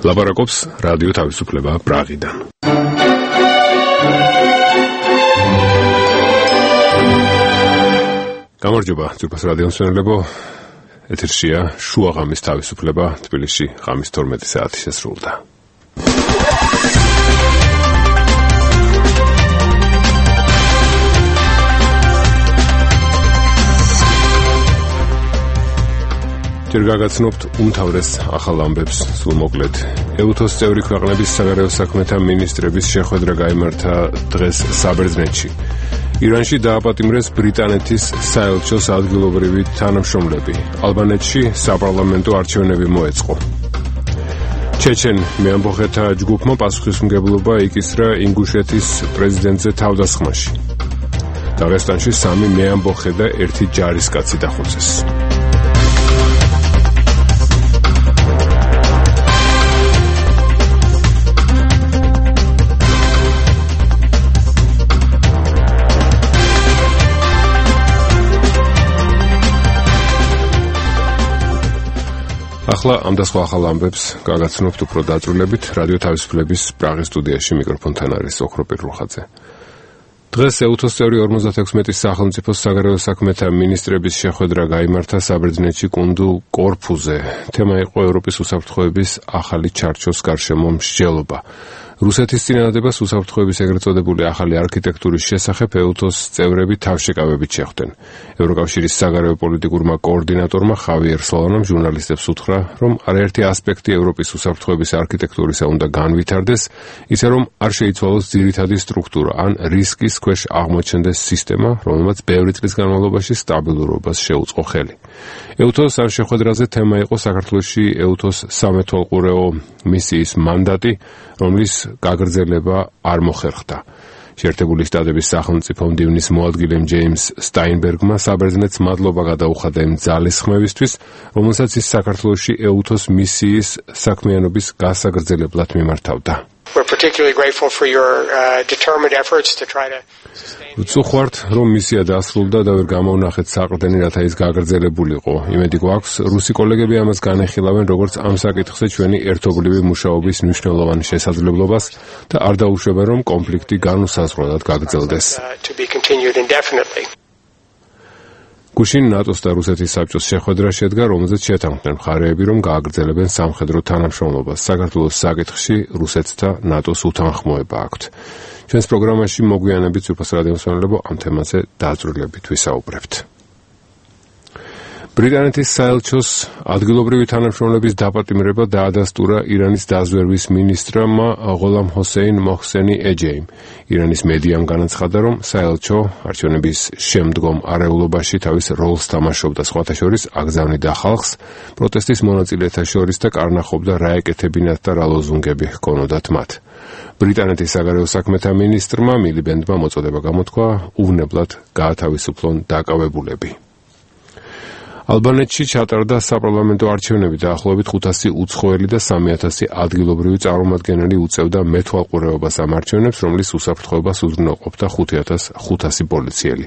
ლაპარაკობს რადიო თავისუფლება პრაღიდან. გამარჯობა, ძვირფას რადიო მსმენელებო. ეთერშია შუა ღამის თავისუფლება, თბილისში ღამის 12 საათი შესრულდა. ჯერ გაგაცნობთ უმთავრეს ახალ ამბებს სულმოკლედ. ეუთოს წევრი ქვეყნების საგარეო საქმეთა მინისტრების შეხვედრა გაიმართა დღეს საბერძნეთში. ირანში დააპატიმრეს ბრიტანეთის საელჩოს ადგილობრივი თანამშრომლები. ალბანეთში საპარლამენტო არჩევნები მოეწყო. ჩეჩენ მეამბოხეთა ჯგუფმა პასუხისმგებლობა იკისრა ინგუშეთის პრეზიდენტზე თავდასხმაში. დაღესტანში 3 მეამბოხე და 1 ჯარისკაცი დახოცეს. ახლა ამ და სხვა ახალ ამბებს გაგაცნობთ უფრო დაწვრილებით. რადიო თავისუფლების პრაღის სტუდიაში მიკროფონთან არის ოქრო პირრუხაძე. დღეს ეუთოს წევრი 56 სახელმწიფოს საგარეო საქმეთა მინისტრების შეხვედრა გაიმართა საბერძნეთში კუნძულ კორფუზე. თემა იყო ევროპის უსაფრთხოების ახალი ჩარჩოს გარშემო მსჯელობა. რუსეთის წინადადებას უსაფრთხოების ეგრეთ წოდებული ახალი არქიტექტურის შესახებ ეუთოს წევრები თავშეკავებით შეხვდნენ. ევროკავშირის საგარეო პოლიტიკურმა კოორდინატორმა ხავიერ სოლანამ ჟურნალისტებს უთხრა, რომ არაერთი ასპექტი ევროპის უსაფრთხოების არქიტექტურისა უნდა განვითარდეს, ისე რომ არ შეიცვალოს ძირითადი სტრუქტურა ან რისკის ქვეშ აღმოჩნდეს სისტემა, რომელმაც ბევრი წლის განმავლობაში სტაბილურობას შეუწყო ხელი. ეუთოს ამ შეხვედრაზე თემა იყო საქართველოში ეუთოს სამეთვალყურეო მისიის მანდატი, რომლის გაგრძელება არ მოხერხდა. შეერთებული შტატების სახელმწიფო მდივნის მოადგილემ ჯეიმს სტაინბერგმა საბერძნეთს მადლობა გადაუხადა იმ ძალის ხმევისთვის, რომელსაც ის საქართველოში ეუთოს მისიის საქმიანობის გასაგრძელებლად მიმართავდა. We're particularly grateful for your determined efforts to try to ვწუხართ, რომ მისია დასრულდა და ვერ გამოვნახეთ საყრდენი, რათა ის გაგრძელებულიყო. იმედი გვაქვს, რუსი კოლეგები ამას განეხილავენ, როგორც ამ საკითხზე ჩვენი ერთობლივი მუშაობის მნიშვნელოვან შესაძლებლობას და არ დაუშვებენ, რომ კონფლიქტი განუსაზღვრელად გაგრძელდეს. გუშინ ნატოს და რუსეთის საბჭოს შეხვედრა შედგა, რომელზეც შეთანხმდნენ მხარეები, რომ გააგრძელებენ სამხედრო თანამშრომლობას. საქართველოს საკითხში რუსეთს და ნატოს უთანხმოება აქვთ. ჩვენს პროგრამაში მოგვიანებით ძვირფას რადიო მსმენელებო ამ თემაზე დაწვრილებით ვისაუბრებთ. ბრიტანეთის საელჩოს ადგილობრივი თანამშრომლების დაპატიმრება დაადასტურა ირანის დაზვერვის მინისტრმა ღოლამ ჰოსეინ მოჰსენი ეჯეიმ. ირანის მედიამ განაცხადა, რომ საელჩო არჩევნების შემდგომ არეულობაში თავის როლს თამაშობდა, სხვათა შორის აგზავნიდა ხალხს პროტესტის მონაწილეთა შორის და კარნახობდა რა ეკეთებინათ და რა ლოზუნგები ჰქონოდათ მათ. ბრიტანეთის საგარეო საქმეთა მინისტრმა მილიბენდმა მოწოდება გამოთქვა უვნებლად გაათავისუფლონ დაკავებულები. ალბანეთში ჩატარდა საპარლამენტო არჩევნები, დაახლოებით 500 უცხოელი და 3000 ადგილობრივი წარმომადგენელი უწევდა მეთვალყურეობას ამ არჩევნებს, რომლის უსაფრთხოებას უზრუნველყოფდა 5500 პოლიციელი.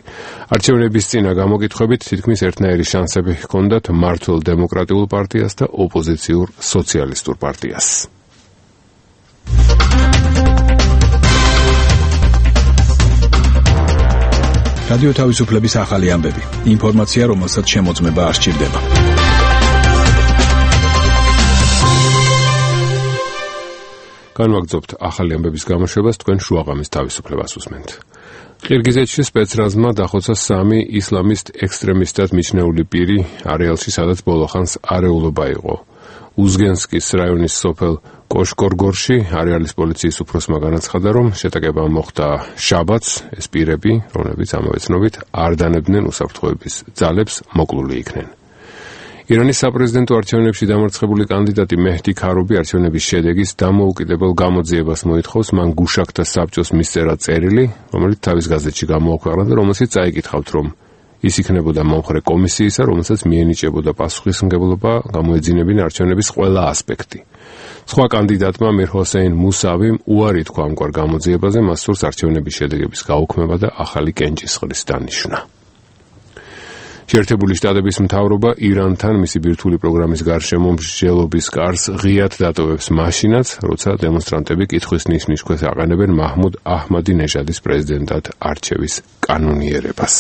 არჩევნების წინა გამოკითხვებით თითქმის ერთნაირი შანსები ჰქონდათ მმართველ დემოკრატიულ პარტიას და ოპოზიციურ სოციალისტურ პარტიას. რადიო თავისუფლების ახალი ამბები. ინფორმაცია, რომელსაც შემოწმება არ სჭირდება. განვაგრძობთ ახალი ამბების გამოშვებას, თქვენ შუაღამის თავისუფლებას უსმენთ. ყირგიზეთში სპეცრაზმა დახოცა 3 ისლამისტ ექსტრემისტად მიჩნეული პირი არეალში, სადაც ბოლოხანს არეულობა იყო. უზგენსკის რაიონის სოფელ კოშკორგორში არეალის პოლიციის უფროსმა განაცხადა, რომ შეტაკება მოხდა შაბათს. ეს პირები, რომლებიც ამავე ცნობით არ დანებდნენ უსაფრთხოების ძალებს, მოკლული იქნენ. ირანის საპრეზიდენტო არჩევნებში დამარცხებული კანდიდატი მეჰდი ქარობი არჩევნების შედეგის დამოუკიდებელ გამოძიებას მოითხოვს. მან გუშაქთა საბჭოს მისწერა წერილი, რომელიც თავის გაზეთში გამოაქვეყნა და რომელშიც წაიკითხავთ, რომ ის იქნებოდა მომხრე კომისიისა, რომელსაც მიენიჭებოდა პასუხისმგებლობა გამოეძინებინა არჩევნების ყველა ასპექტი. სხვა კანდიდატმა მირ ჰოსეინ მუსავიმ უარი თქვა ამგვარ გამოძიებაზე, მას სურს არჩევნების შედეგების გაუქმება და ახალი კენჭისყრის დანიშვნა. შეერთებული შტატების მთავრობა ირანთან მისი ბირთვული პროგრამის გარშემო მსჯელობის კარს ღიად დატოვებს მაშინაც, როცა დემონსტრანტები კითხვის ნიშნის ქვეშ აყენებენ მაჰმუდ აჰმადინეჟადის პრეზიდენტად არჩევის კანონიერებას.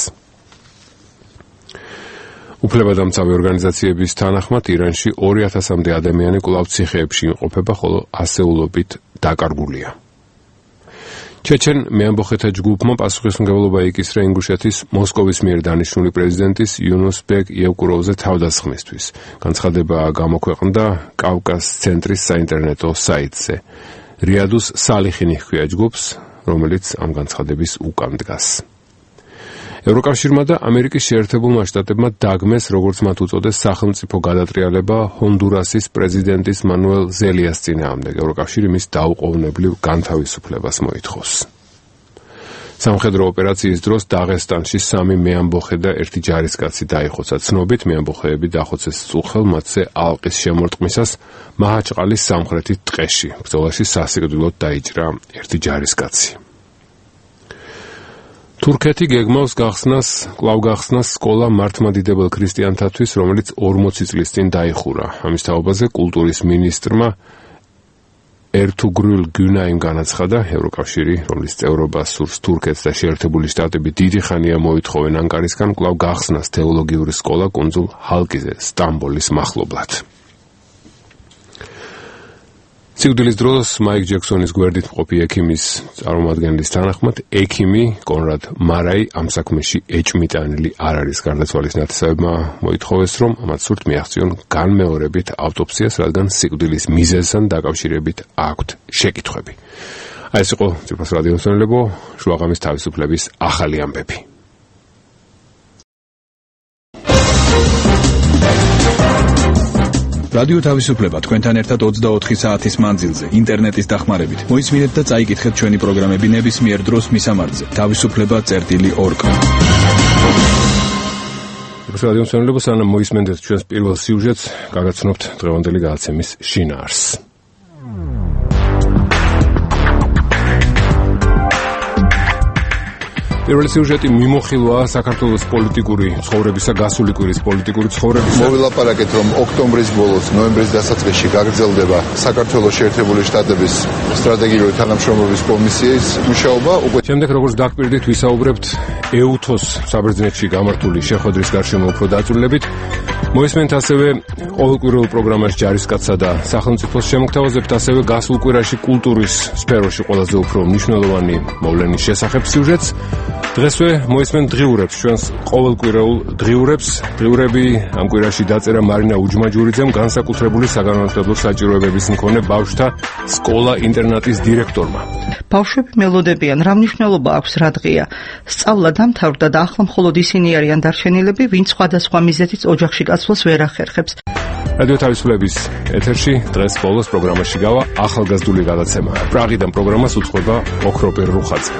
უფლებადამცავი ორგანიზაციების თანახმად ირანში 2000-მდე ადამიანი კვლავ ციხეებში იმყოფება, ხოლო ასეულობით დაკარგულია. ჩეჩენ მეამბოხეთა ჯგუფმა პასუხისმგებლობა იკისრა ინგუშეთის მოსკოვის მიერ დანიშნული პრეზიდენტის იუნუსბეგ იევკუროვზე თავდასხმისთვის. განცხადება გამოქვეყნდა კავკას ცენტრის საინტერნეტო საიტზე. რიადუს სალიხინი ჰქვია ჯგუფს, რომელიც ამ განცხადების უკან დგას. ევროკავშირმა და ამერიკის შეერთებულმა შტატებმა დაგმეს, როგორც მათ უწოდეს, სახელმწიფო გადატრიალება ჰონდურასის პრეზიდენტის მანუელ ზელიას წინააღმდეგ. ევროკავშირი მის დაუყოვნებლივ განთავისუფლებას მოითხოვს. სამხედრო ოპერაციის დროს დაღესტანში 3 მეამბოხე და 1 ჯარისკაცი დაიხოცა. ცნობით მეამბოხეები დახოცეს წუხელ მათზე ალყის შემორტყმისას მაჰაჩყალის სამხრეთით ტყეში. ბრძოლაში სასიკვდილოდ დაიჭრა 1 ჯარისკაცი. თურქეთი გეგმავს კვლავ გახსნას სკოლა მართლმადიდებელ ქრისტიანთათვის, რომელიც 40 წლის წინ დაიხურა. ამის თაობაზე კულტურის მინისტრმა ერთუგრულ გუნაიმ განაცხადა, ევროკავშირი, რომლის წევრობას სურს თურქეთს და შეერთებული შტატები დიდი ხანია მოითხოვენ ანკარისგან, კვლავ გახსნას თეოლოგიური სკოლა კუნძულ ჰალკიზე, სტამბოლის მახლობლად. სიკვდილის დროს მაიკ ჯექსონის გვერდით მყოფი ექიმის წარმომადგენლის თანახმად, ექიმი კონრად მარაი ამ საქმეში ეჭმიტანილი არ არის. გარდაცვალის ნათესავებმა მოითხოვეს, რომ მათ სურთ მიაღწიონ განმეორებით ავტოფსიას, რადგან სიკვდილის მიზეზთან დაკავშირებით აქვთ შეკითხვები. აი ეს იყო ციფროს რადიო მსმენელებო, შუაღამის თავისუფლების ახალი ამბები. რადიო თავისუფლება თქვენთან ერთად 24 საათის მანძილზე ინტერნეტის დახმარებით. მოისმინეთ და წაიკითხეთ ჩვენი პროგრამები ნებისმიერ დროს მისამართზე. თავისუფლება.org. რადიო მსმენელებო, სანამ მოისმენთ ჩვენს პირველ სიუჟეტს, გაგაცნობთ დღევანდელი გადაცემის შინაარსს. პირველი სიუჟეტი მიმოხილვაა საქართველოს პოლიტიკური ცხოვრებისა, გასული კვირის პოლიტიკური ცხოვრებისა. მოვილაპარაკეთ, რომ ოქტომბრის ბოლოს, ნოემბრის დასაწყისში გაგრძელდება საქართველოს შეერთებული შტატების სტრატეგიული თანამშრომლობის კომისიის მუშაობა. შემდეგ, როგორც დაგვირდით, ვისაუბრებთ ეუთოს საბერძნეთში გამართული შეხვედრის გარშემო უფრო დაწვრილებით. მოისმენთ ასევე ყოველკვირეულ პროგრამაში ჯარისკაცსა და სახელმწიფოს შემოგთავაზებთ ასევე გასულ კვირაში კულტურის სფეროში ყველაზე უფრო მნიშვნელოვანი მოვლენის შესახებ სიუჟეტს. დღესვე მოისმენთ დღიურებს, ჩვენს ყოველკვირეულ დღიურებს. დღიურები ამ კვირაში დაწერა მარინა უჯმაჯურიძემ, განსაკუთრებული საგანმანათლებლო საჭიროებების მქონე ბავშვთა სკოლა-ინტერნატის დირექტორმა. ბავშვები მელოდებიან, რა მნიშვნელობა აქვს რა დღეა. სწავლა დამთავრდა და ახლა მხოლოდ ისინი არიან დარჩენილები, ვინც სხვადასხვა მიზეზით ოჯახში გასვლას ვერ ახერხებს. რადიო თავისუფლების ეთერში დღეს ბოლოს პროგრამაში გავა ახალგაზრდული გადაცემა. პრაღიდან პროგრამას უძღვება ოქროპირ რუხაძე.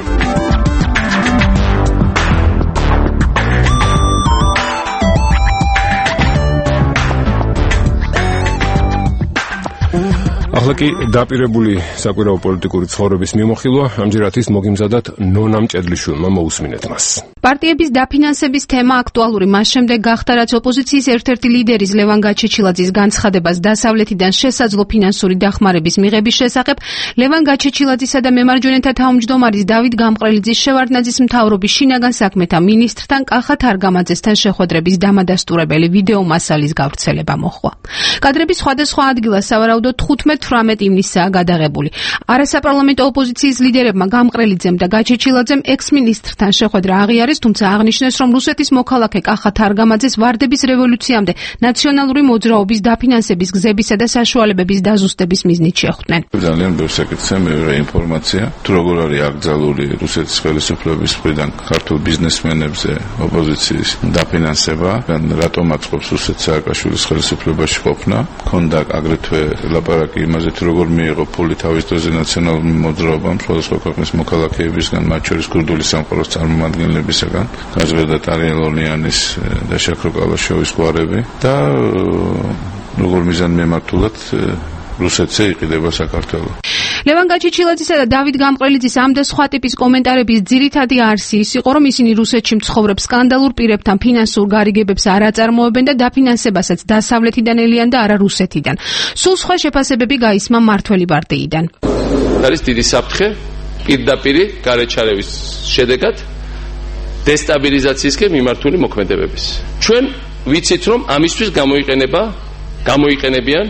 ახლა კი დაპირებული საკვირაო პოლიტიკური ცხოვრების მიმოხილვა, ამჯერად ის მოგიმზადათ ნონა მჭედლიშვილმა, მოусმინეთ მას. პარტიების დაფინანსების თემა აქტუალური მას შემდეგ გახდა, რაც ოპოზიციის ერთ-ერთი ლიდერის ლევან გაჩეჩილაძის განცხადებას დასავლეთიდან შესაძლო ფინანსური დახმარების მიღების შესახებ ლევან გაჩეჩილაძისა და მემარჯვენეთა თავმჯდომარის დავით გამყრელიძის შევარდნაძის მთავრობის შინაგან საქმეთა მინისტრთან კახა თარგამაძესთან შეხვედრების დამადასტურებელი ვიდეო მასალის გავრცელება მოჰყვა. კადრები სხვადასხვა ადგილას სავარაუდოდ 15-18 ივნისაა გადაღებული. არასაპარლამენტო ოპოზიციის ლიდერებმა გამყრელიძემ და გაჩეჩილაძემ ექს-მინისტრთან შეხვედრა აღიარეს, თუმცა აღნიშნეს, რომ რუსეთის მოქალაქე კახა თარგამაძეს ვარდების რევოლუციამდე ნაციონალური მოძრაობის დაფინანსების გზებისა და საშუალებების დაზუსტების მიზნით შეხვდნენ. ძალიან ბევრ საკითხზე მეორე ინფორმაცია, თუ როგორ არის აკრძალული რუსეთის ხელისუფლების მხრიდან ქართულ ბიზნესმენებზე ოპოზიციის დაფინანსება, რატომ აწყობს რუსეთ სააკაშვილის ხელისუფლებაში ყოფნა, ქონდა აგრეთვე ლაპარაკი იმაზე, თუ როგორ მიიღო ფული თავის დროზე ნაციონალურ მოძრაობამ სხვადასხვა ქვეყნის მოქალაქეებისგან, მათ შორის ქურდული სამყაროს წარმომადგენლებისგან, გაზრდა ტარიელონიანის და შაქრო კალაშოვის გვარები და როგორ მიზანმიმართულად რუსეთზე იყიდება საქართველო. ლევან გაჩეჩილაძისა და დავით გამყრელიძის ამ და სხვა ტიპის კომენტარების ძირითადი არსი ის იყო, რომ ისინი რუსეთში მცხოვრებ სკანდალურ პირებთან ფინანსურ გარიგებებს არ აწარმოებენ და დაფინანსებასაც დასავლეთიდან ელიან და არა რუსეთიდან. სულ სხვა შეფასებები გაისმა მმართველი პარტიიდან. არის დიდი საფრთხე პირდაპირი გარეჩარევის შედეგად დესტაბილიზაციისკენ მიმართული მოქმედებების. ჩვენ ვიცით, რომ ამისთვის გამოიყენებიან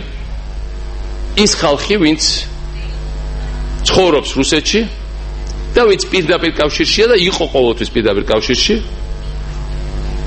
ის ხალხი, ვინც ცხოვრობს რუსეთში და ვინც პირდაპირ კავშირშია და იყო ყოველთვის პირდაპირ კავშირში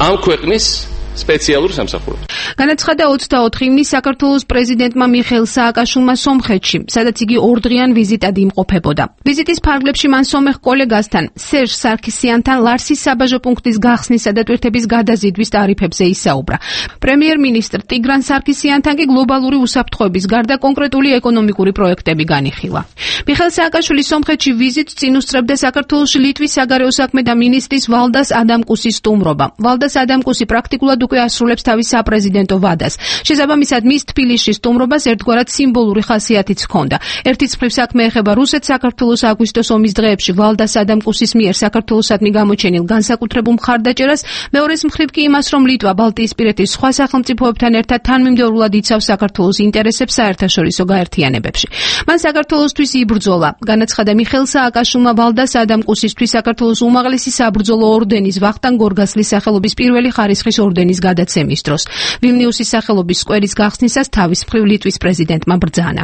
ამ ქვეყნის სპეციალურ სამსახურებს. განაცხადა 24 ივნისს საქართველოს პრეზიდენტმა მიხეილ სააკაშვილმა სომხეთში, სადაც იგი ორდღიან ვიზიტად იმყოფებოდა. ვიზიტის ფარგლებში მან სომეხ კოლეგასთან, სერჟ სარქისიანთან ლარსის საბაჟო პუნქტის გახსნისა და ტვირთების გადაზიდვის ტარიფებზე ისაუბრა. პრემიერ-მინისტრ ტიგრან სარქისიანთან კი გლობალური უსაფრთხოების გარდა კონკრეტული ეკონომიკური პროექტები განიხილა. მიხეილ სააკაშვილი სომხეთში ვიზიტს წინ უსწრებდა საქართველოში ლიტვის საგარეო საქმეთა მინისტრის ვალდას ადამკუსის სტუმრობა. ვალდას ადამკუსი პრაქტიკულად უკვე ასრულებს თავის საპრეზიდენტო ვადას. შესაბამისად, მის თბილისში სტუმრობას ერთგვარად სიმბოლური ხასიათიც ჰქონდა. ერთის მხრივ საქმე ეხება რუსეთ-საქართველოს აგვისტოს ომის დღეებში ვალდას ადამკუსის მიერ საქართველოსადმი გამოჩენილ განსაკუთრებულ მხარდაჭერას, მეორეს მხრივ კი იმას, რომ ლიტვა ბალტიისპირეთის სხვა სახელმწიფოებთან ერთად თანმიმდევრულად იცავს საქართველოს ინტერესებს საერთაშორისო გაერთიანებებში. მან საქართველოსთვის იბრძოლა. განაცხადა მიხეილ სააკაშვილმა ვალდას ადამკუსისთვის საქართველოს უმაღლესი საბრძოლო ორდენის ვახტანგ გორგასლის სახელობის პირველი ხარისხის ორდენის გადაცემის დროს. ვილნიუსის სახელობის სკვერის გახსნისას თავის მხრივ ლიტვის პრეზიდენტმა ბრძანა.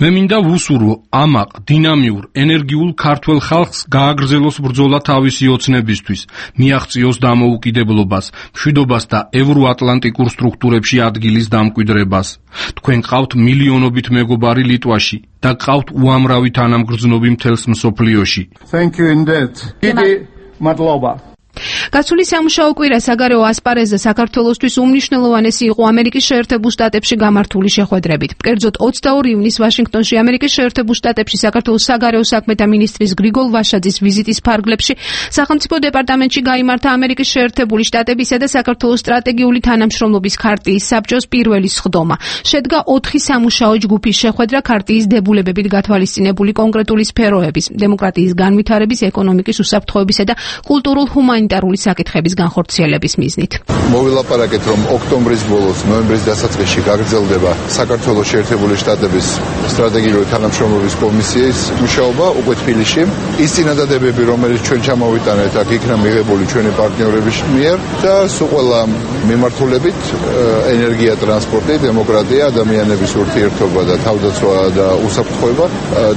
მე მინდა ვუსურვო ამაყ, დინამიურ, ენერგიულ ქართველ ხალხს გააგრძელოს ბრძოლა თავისი ოცნებისთვის, მიაღწიოს დამოუკიდებლობას, მშვიდობას და ევროატლანტიკურ სტრუქტურებში ადგილის დამკვიდრებას. თქვენ ყავთ მილიონობით მეგობარი ლიტვაში და ყავთ უამრავი თანამგრძნობი მთელს მსოფლიოში. გასული სამუშაო კვირა საგარეო ასპარეზზე საქართველოსთვის უმნიშვნელოვანესი იყო ამერიკის შეერთებულ შტატებში გამართული შეხვედრებით. კერძოდ 22 ივნისს ვაშინგტონში ამერიკის შეერთებულ შტატებში საქართველოს საგარეო საქმეთა მინისტრის გრიგოლ ვაშაძის ვიზიტის ფარგლებში სახელმწიფო დეპარტამენტში გაიმართა ამერიკის შეერთებული შტატებისა და საქართველოს სტრატეგიული თანამშრომლობის ქარტიის საბჭოს პირველი სხდომა. შედგა 4 სამუშაო ჯგუფის შეხვედრა ქარტიის დებულებებით გათვალისწინებული კონკრეტული სფეროების, დემოკრატიის განვითარების, ეკონომიკის, უსაფრთხოებისა და კულტურულ-ჰუმანიტარული საკითხების განხორციელების მიზნით. მოვილაპარაკეთ, რომ ოქტომბრის ბოლოს, ნოემბრის დასაწყისში გაგრძელდება საქართველოს შეერთებული შტატების სტრატეგიული თანამშრომლობის კომისიის მუშაობა უკვე თბილისში. ის წინადადებები, რომელიც ჩვენ ჩამოვიტანეთ, აქ იქნა მიღებული ჩვენი პარტნიორების მიერ და სულ ყველა მიმართულებით ენერგია, ტრანსპორტი, დემოკრატია, ადამიანების ურთიერთობა და თავდაცვა და უსაფრთხოება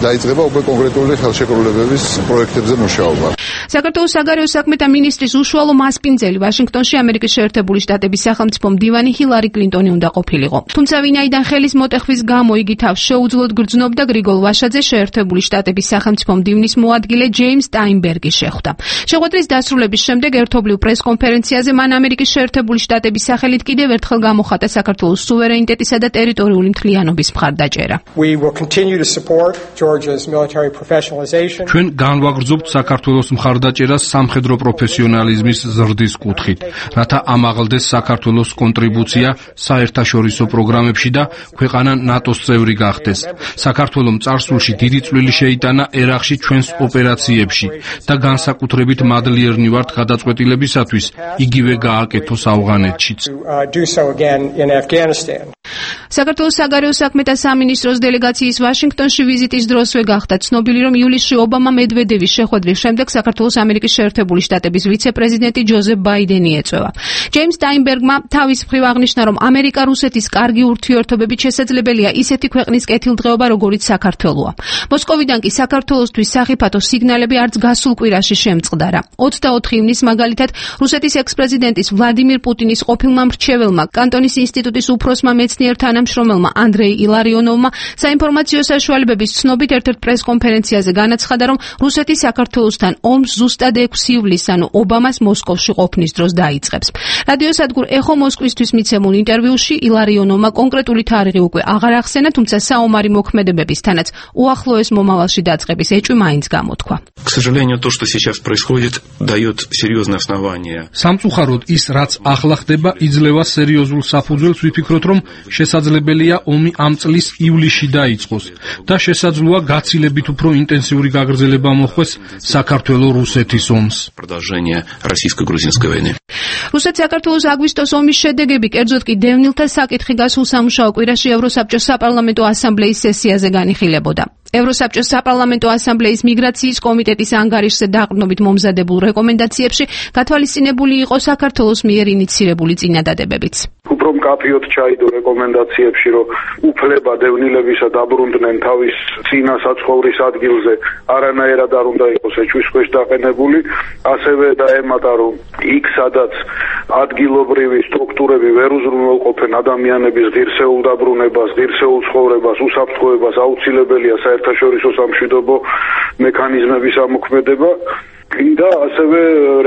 დაიწყება უკვე კონკრეტული ხელშეკრულებების პროექტებზე მუშაობა. საქართველოს საგარეო საქმეთა მინისტრის უშუალო მასპინძელი ვაშინგტონში ამერიკის შეერთებული შტატების სახელმწიფო მდივანი ჰილარი კლინტონი უნდა ყოფილიყო. თუმცა ვინაიდან ხელის მოტეხვის გამო იგი თავს შეუძლოდ გრძნობდა, გრიგოლ ვაშაძე შეერთებული შტატების სახელმწიფო მდივნის მოადგილე ჯეიმს სტაინბერგი შეხვდა. შეხვედრის დასრულების შემდეგ ერთობლივ პრესკონფერენციაზე მან ამერიკის შეერთებული შტატების სახელით კიდევ ერთხელ გამოხატა საქართველოს სუვერენიტეტისა და ტერიტორიული მთლიანობის მხარდაჭერა. ჩვენ განვაგრძობთ საქართველოს მხარდაჭერას სამხედრო პროფესიონალიზმის ზრდის კუთხით, რათა ამაღლდეს საქართველოს კონტრიბუცია საერთაშორისო პროგრამებში და ქვეყანა ნატოს წევრი გახდეს. საქართველომ წარსულში დიდი წვლილი შეიტანა ერაყში ჩვენს ოპერაციებში და განსაკუთრებით მადლიერნი ვართ გადაწყვეტილებისათვის იგივე გააკეთოს ავღანეთშიც. საქართველოს საგარეო საქმეთა სამინისტროს დელეგაციის ვაშინგტონში ვიზიტის დროსვე გახდა ცნობილი, რომ ივლისში ობამა მედვედევის შეხვედრის შემდეგ საქართველოს ამერიკის შეერთებული შტატების ვიცე-პრეზიდენტი ჯოზეფ ბაიდენი ეწევა. ჯეიმს სტაინბერგმა თავის მხრივ აღნიშნა, რომ ამერიკა-რუსეთის კარგი ურთიერთობებით შესაძლებელია ისეთი ქვეყნის კეთილდღეობა, როგორიც საქართველოა. მოსკოვიდან კი საქართველოსთვის სახიფათო სიგნალები არც გასულ კვირაში შემწყდარა. 24 ივნისს მაგალითად რუსეთის ექს-პრეზიდენტის ვლადიმირ პუტინის ყოფილმა მრჩეველმა, კანტონის ინსტიტუტის უფროსმა მეცნიერ თანამშრომელმა ანდრეი ილარიონოვმა საინფორმაციო საშუალებების ცნობით ერთ-ერთ პრესკონფერენციაზე განაცხადა, რომ რუსეთი საქართველოსთან ომს ზუსტად 6 ივლისს, ანუ ობამას მოსკოვში ყოფნის დროს დაიწყებს. რადიოსადგურ ეხო მოსკვისთვის მიცემულ ინტერვიუში ილარიონოვმა კონკრეტული თარიღი უკვე აღარ ახსენა, თუმცა საომარი მოქმედებებისთანაც უახლოეს მომავალში დაწყების ეჭვი მაინც გამოთქვა. სამწუხაროდ ის, რაც ახლა ხდება, იძლევა სერიოზულ საფუძველს ვიფიქროთ, რომ შესაძლებელია ომი ამ წლის ივლისში დაიწყოს და შესაძლოა გაცილებით უფრო ინტენსიური გაგრძელება მოხდეს საქართველო-რუსეთის ომს. რუსეთ-საქართველოს აგვისტოს ომის შედეგები, კერძოდ კი დევნილთა საკითხი გასულ სამუშაო კვირაში ევროსაბჭოს საპარლამენტო ასამბლეის სესიაზე განიხილებოდა. ევროსაბჭოს საპარლამენტო ასამბლეის მიგრაციის კომიტეტის ანგარიშზე დაყრდნობით მომზადებულ რეკომენდაციებში გათვალისწინებული იყო საქართველოს მიერ ინიცირებული წინადადებებიც. უფრო მკაფიოდ ჩაიდო რეკომენდაციებში, რომ უფლება დევნილებისა დაბრუნდნენ თავის წინა საცხოვრის ადგილზე, არანაირად არ უნდა იყოს ეჭვის ქვეშ დაყენებული, ასევე დაემატა, რომ იქ სადაც ადგილობრივი სტრუქტურები ვერ უზრუნველყოფენ ადამიანების ღირსეულ დაბრუნებას, ღირსეულ ცხოვრებას, უსაფრთხოებას, აუცილებელია საერთაშორისო სამშვიდობო მექანიზმების ამოქმედება. და ასევე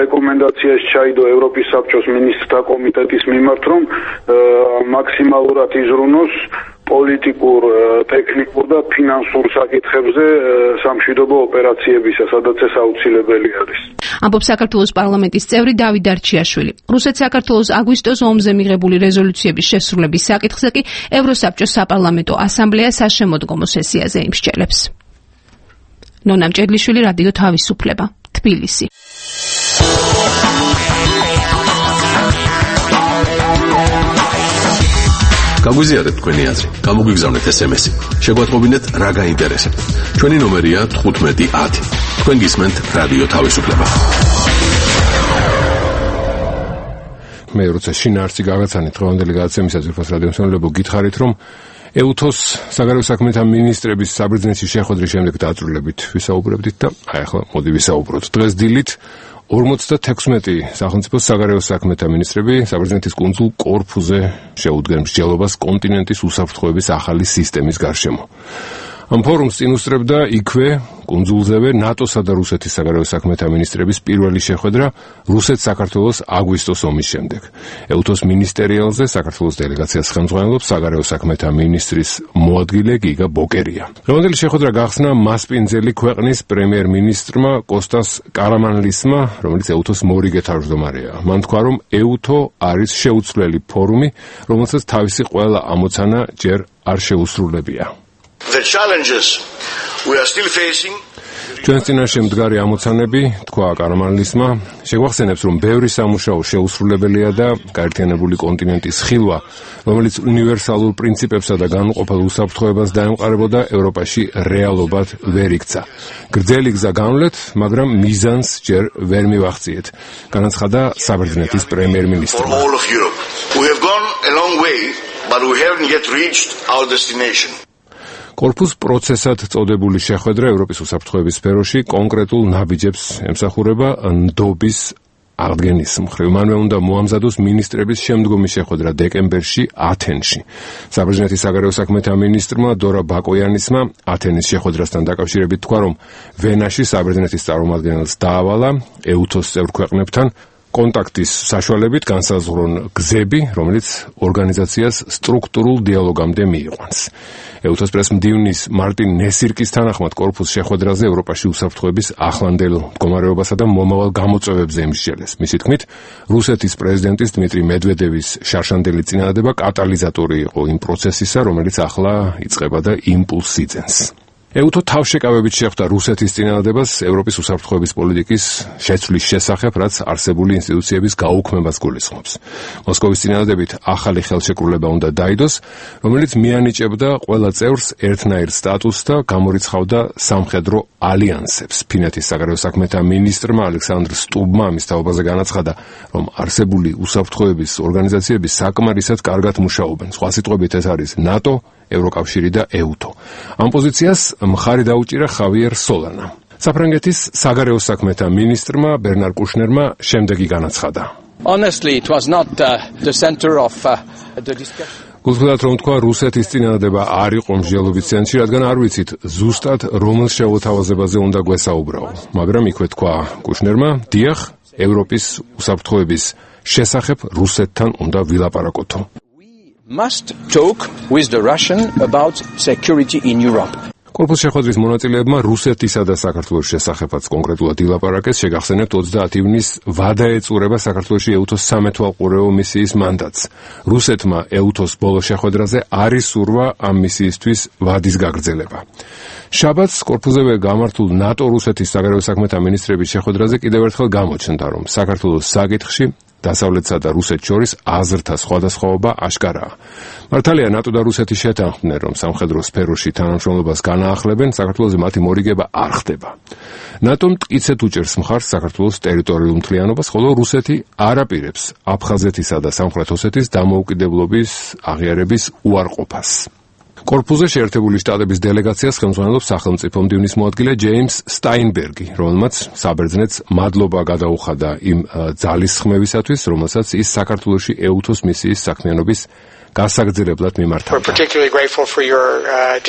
რეკომენდაციაში ჩაიდო ევროპის საბჭოს მინისტრთა კომიტეტის მიმართ, რომ მაქსიმალურად იზრუნოს პოლიტიკურ, ტექნიკურ და ფინანსურ საკითხებზე სამშვიდობო ოპერაციებისა, სადაც ეს აუცილებელი არის. ამბობს საქართველოს პარლამენტის წევრი დავით დარჩიაშვილი. რუსეთ-საქართველოს აგვისტოს ომზე მიღებული რეზოლუციების შესრულების საკითხზე კი ევროსაბჭოს საპარლამენტო ასამბლეა საშემოდგომო სესიაზე იმსჯელებს. ნონა მჭედლიშვილი, რადიო თავისუფლება, თბილისი. გაგვიზიარეთ თქვენი აზრი, გამოგვიგზავნეთ SMS-ი. შეგვატყობინეთ რა გაინტერესებთ. ჩვენი ნომერია 1510. თქვენ გისმენთ რადიო თავისუფლება. მე როცა შინაარსი გავაცანით დღევანდელი გადაცემისა ძვირფას რადიო მსმენელებო, გითხარით, რომ ეუთოს საგარეო საქმეთა მინისტრების საბერძნეთში შეხვედრის შემდეგ დაწვრილებით ვისაუბრებდით და აი ახლა მოდი ვისაუბროთ. დღეს დილით 56 სახელმწიფოს საგარეო საქმეთა მინისტრები საბერძნეთის კუნძულ კორფუზე შეუდგნენ მსჯელობას კონტინენტის უსაფრთხოების ახალი სისტემის გარშემო. ამ ფორუმს წინ უსწრებდა იქვე კუნძულზევე ნატოსა და რუსეთის საგარეო საქმეთა მინისტრების პირველი შეხვედრა რუსეთ-საქართველოს აგვისტოს ომის შემდეგ. ეუთოს მინისტერიალზე საქართველოს დელეგაციას ხელმძღვანელობს საგარეო საქმეთა მინისტრის მოადგილე გიგა ბოკერია. დღევანდელი შეხვედრა გახსნა მასპინძელი ქვეყნის პრემიერ-მინისტრმა კოსტას კარამანლისმა, რომელიც ეუთოს მორიგე თავმჯდომარეა. მან თქვა, რომ ეუთო არის შეუცვლელი ფორუმი, რომელსაც თავისი ყველა ამოცანა ჯერ არ შეუსრულებია. The challenges we are still facing. ჩვენს წინაშე მდგარი ამოცანები, თქვა კარამანლისმა, შეგვახსენებს, რომ ბევრი სამუშაო შეუსრულებელია და გაერთიანებული კონტინენტის ხილვა, რომელიც უნივერსალურ პრინციპებსა და განუყოფელ უსაფრთხოებას დაემყარებოდა, ევროპაში რეალობად ვერ იქცა. გრძელი გზა განვლეთ, მაგრამ მიზანს ჯერ ვერ მივახციეთ, განაცხადა საბერძნეთის პრემიერ-მინისტრმა. We have gone a long way, but we haven't yet reached our destination. კორფუს პროცესად წოდებული შეხვედრა ევროპის უსაფრთხოების სფეროში კონკრეტულ ნაბიჯებს ემსახურება ნდობის აღდგენის მხრივ. მანვე უნდა მოამზადოს მინისტრების შემდგომი შეხვედრა დეკემბერში ათენში. საბერძნეთის საგარეო საქმეთა მინისტრმა დორა ბაკოიანისმა ათენის შეხვედრასთან დაკავშირებით თქვა, რომ ვენაში საბერძნეთის წარმომადგენელს დაავალა ეუთოს წევრ ქვეყნებთან კონტაქტის საშუალებით განსაზღვრონ გზები, რომელიც ორგანიზაციას სტრუქტურულ დიალოგამდე მიიყვანს. ეუთოს პრესმდივნის მარტინ ნესირკის თანახმად კორფუს შეხვედრაზე ევროპაში უსაფრთხოების ახლანდელ მდგომარეობასა და მომავალ გამოწვევებზე იმსჯელეს. მისი თქმით, რუსეთის პრეზიდენტის დმიტრი მედვედევის შარშანდელი წინადადება კატალიზატორი იყო იმ პროცესისა, რომელიც ახლა იწყება და იმპულსს იძენს. ეუთო თავშეკავებით შეხვდა რუსეთის წინადადებას ევროპის უსაფრთხოების პოლიტიკის შეცვლის შესახებ, რაც არსებული ინსტიტუციების გაუქმებას გულისხმობს. მოსკოვის წინადადებით ახალი ხელშეკრულება უნდა დაიდოს, რომელიც მიანიჭებდა ყველა წევრს ერთნაირ სტატუსს და გამორიცხავდა სამხედრო ალიანსებს. ფინეთის საგარეო საქმეთა მინისტრმა ალექსანდრ სტუბმა ამის თაობაზე განაცხადა, რომ არსებული უსაფრთხოების ორგანიზაციები საკმარისად კარგად მუშაობენ. სხვა სიტყვებით, ეს არის ნატო, ევროკავშირი და ეუთო. ამ პოზიციას მხარი დაუჭირა ხავიერ სოლანამ. საფრანგეთის საგარეო საქმეთა მინისტრმა ბერნარ კუშნერმა შემდეგი განაცხადა. Honestly, it was not the center of the discussion. გულწრფელად რომ თქვა, რუსეთის წინადადება არ იყო მსჯელობის ცენტრში, რადგან არ ვიცით ზუსტად რომელ შეუთავაზებაზე უნდა გვესაუბრაო. მაგრამ იქვე თქვა კუშნერმა, დიახ, ევროპის უსაფრთხოების შესახებ რუსეთთან უნდა ვილაპარაკოთო. Must talk with the Russian about security in Europe. კორპუს შეხვედრის მონაწილეებმა რუსეთისა და საქართველოს შესახებაც კონკრეტულად ილაპარაკეს. შეგახსენებთ 30 ივნისს ვადა ეწურება საქართველოში ეუთოს სამეთვალყურეო მისიის მანდატს. რუსეთმა ეუთოს ბოლო შეხვედრაზე არ ისურვა ამ მისიისთვის ვადის გაგრძელება. შაბათს კორპუსზე გამართულ ნატო-რუსეთის საგარეო საქმეთა მინისტრების შეხვედრაზე კიდევ ერთხელ გამოჩნდა, რომ საქართველოს საკითხში დასავლეთსა და რუსეთს შორის აზრთა სხვადასხვაობა აშკარაა. მართალია ნატო და რუსეთი შეთანხმდნენ, რომ სამხედრო სფეროში თანამშრომლობას განაახლებენ, საქართველოზე მათი მორიგება არ ხდება. ნატო მტკიცედ უჭერს მხარს საქართველოს ტერიტორიულ მთლიანობას, ხოლო რუსეთი არ აპირებს აფხაზეთისა და სამხრეთ ოსეთის დამოუკიდებლობის აღიარების უარყოფას. კორპუსზე შეერთებული შტატების დელეგაციას ხელმძღვანელობს სახელმწიფო მდივნის მოადგილე ჯეიმს სტაინბერგი, რომელმაც საბერძნეთს მადლობა გადაუხადა იმ ძალისხმევისათვის, რომელსაც ის საქართველოში ეუთოს მისიის საქმიანობის გასაგრძელებლად მიმართავდა. We're particularly grateful for your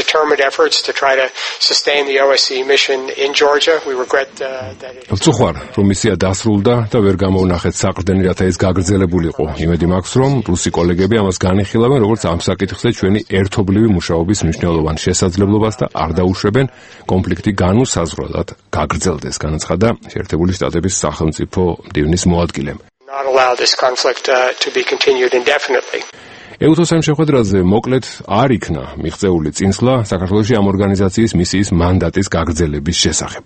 determined efforts to try to sustain the OSCE mission in Georgia. We regret that it ვწუხარ, რომ მისია დასრულდა და ვერ გამოვნახეთ საყრდენი, რათა ის გაგრძელებულიყო. იმედი მაქვს, რომ რუსი კოლეგები ამას განიხილავენ, როგორც ამ საკითხზე ჩვენი ერთობლივი მუშაობის მნიშვნელოვან შესაძლებლობას და არ დაუშვებენ კონფლიქტი განუსაზღვრელად გაგრძელდეს, განაცხადა შეერთებული შტატების სახელმწიფო მდივნის მოადგილემ. not allow this conflict to be continued indefinitely. ეუთოს ამ შეხვედრაზე მოკლედ არ იქნა მიღწეული წინსვლა საქართველოში ამ ორგანიზაციის მისიის მანდატის გაგრძელების შესახებ.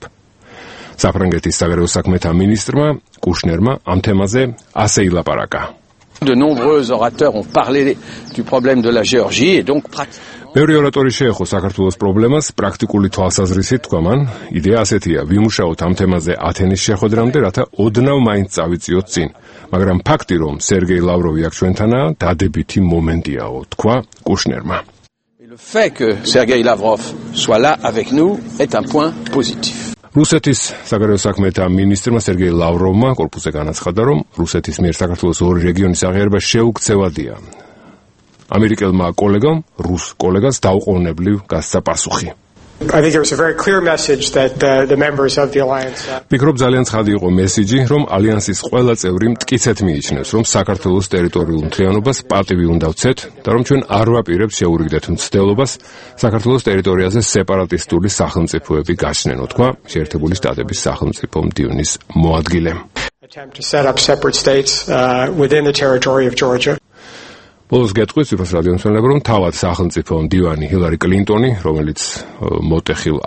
საფრანგეთის საგარეო საქმეთა მინისტრმა კუშნერმა ამ თემაზე ასე ილაპარაკა. De nombreux orateurs ont parlé du problème de la Géorgie et donc მეორე ორატორი შეეხო საქართველოს პრობლემას პრაქტიკული თვალსაზრისით, თქვა მან, იდეა ასეთია, ვიმუშაოთ ამ თემაზე ათენის შეხვედრამდე, რათა ოდნავ მაინც წავიწიოთ წინ. მაგრამ ფაქტი, რომ სერგეი ლავროვი აქ ჩვენთანაა, დადებითი მომენტიაო, თქვა კუშნერმა. Le fait que Sergei Lavrov soit là avec nous est un point positif. რუსეთის საგარეო საქმეთა მინისტრმა სერგეი ლავროვმა კორპუსზე განაცხადა, რომ რუსეთის მიერ საქართველოს ორი რეგიონის აღიარება შეუქცევადია. ამერიკელმა კოლეგამ რუს კოლეგას დაუყოვნებლივ გასცა პასუხი. I think there was a very clear message that the members of the alliance ფიქრობ ძალიან ცხადი იყო მესიჯი, რომ ალიანსის ყველა წევრი მტკიცედ მიიჩნევს, რომ საქართველოს ტერიტორიულ მთლიანობას პატივი უნდა ვცეთ და რომ ჩვენ არ ვაპირებთ შეურიგდეთ მცდელობას საქართველოს ტერიტორიაზე სეპარატისტული სახელმწიფოები გაჩნენ, თქვა შეერთებული შტატების სახელმწიფო მდივნის მოადგილემ. attempt to set up separate states within the territory of Georgia. ბოლოს გეტყვით ციფროს რადიო მსმენელებო, რომ თავად სახელმწიფო მდივანი ჰილარი კლინტონი, რომელიც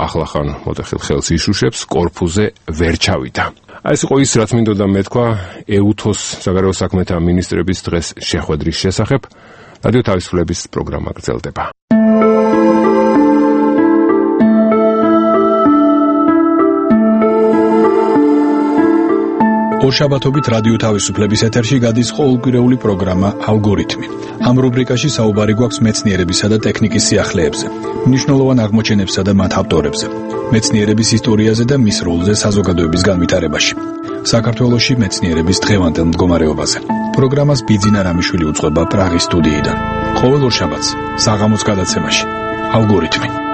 ახლახან მოტეხილ ხელს იშუშებს, კორპუსზე ვერ ჩავიდა. ეს იყო ის, რაც მინდოდა მეთქვა ეუთოს საგარეო საქმეთა მინისტრების დღეს შეხვედრის შესახებ. რადიო თავისუფლების პროგრამა გრძელდება. ორშაბათობით რადიო თავისუფლების ეთერში გადის ყოველკვირეული პროგრამა ალგორითმი. ამ რუბრიკაში საუბარი გვაქვს მეცნიერებისა და ტექნიკის სიახლეებზე, მნიშვნელოვან აღმოჩენებსა და მათ ავტორებზე, მეცნიერების ისტორიაზე და მის როლზე საზოგადოების განვითარებაში. საქართველოში მეცნიერების დღევანდელ მდგომარეობაზე. პროგრამას ბიძინა რამიშვილი უწყება პრაღის სტუდიიდან. ყოველ ორშაბათს საღამოს გადაცემაში ალგორითმი.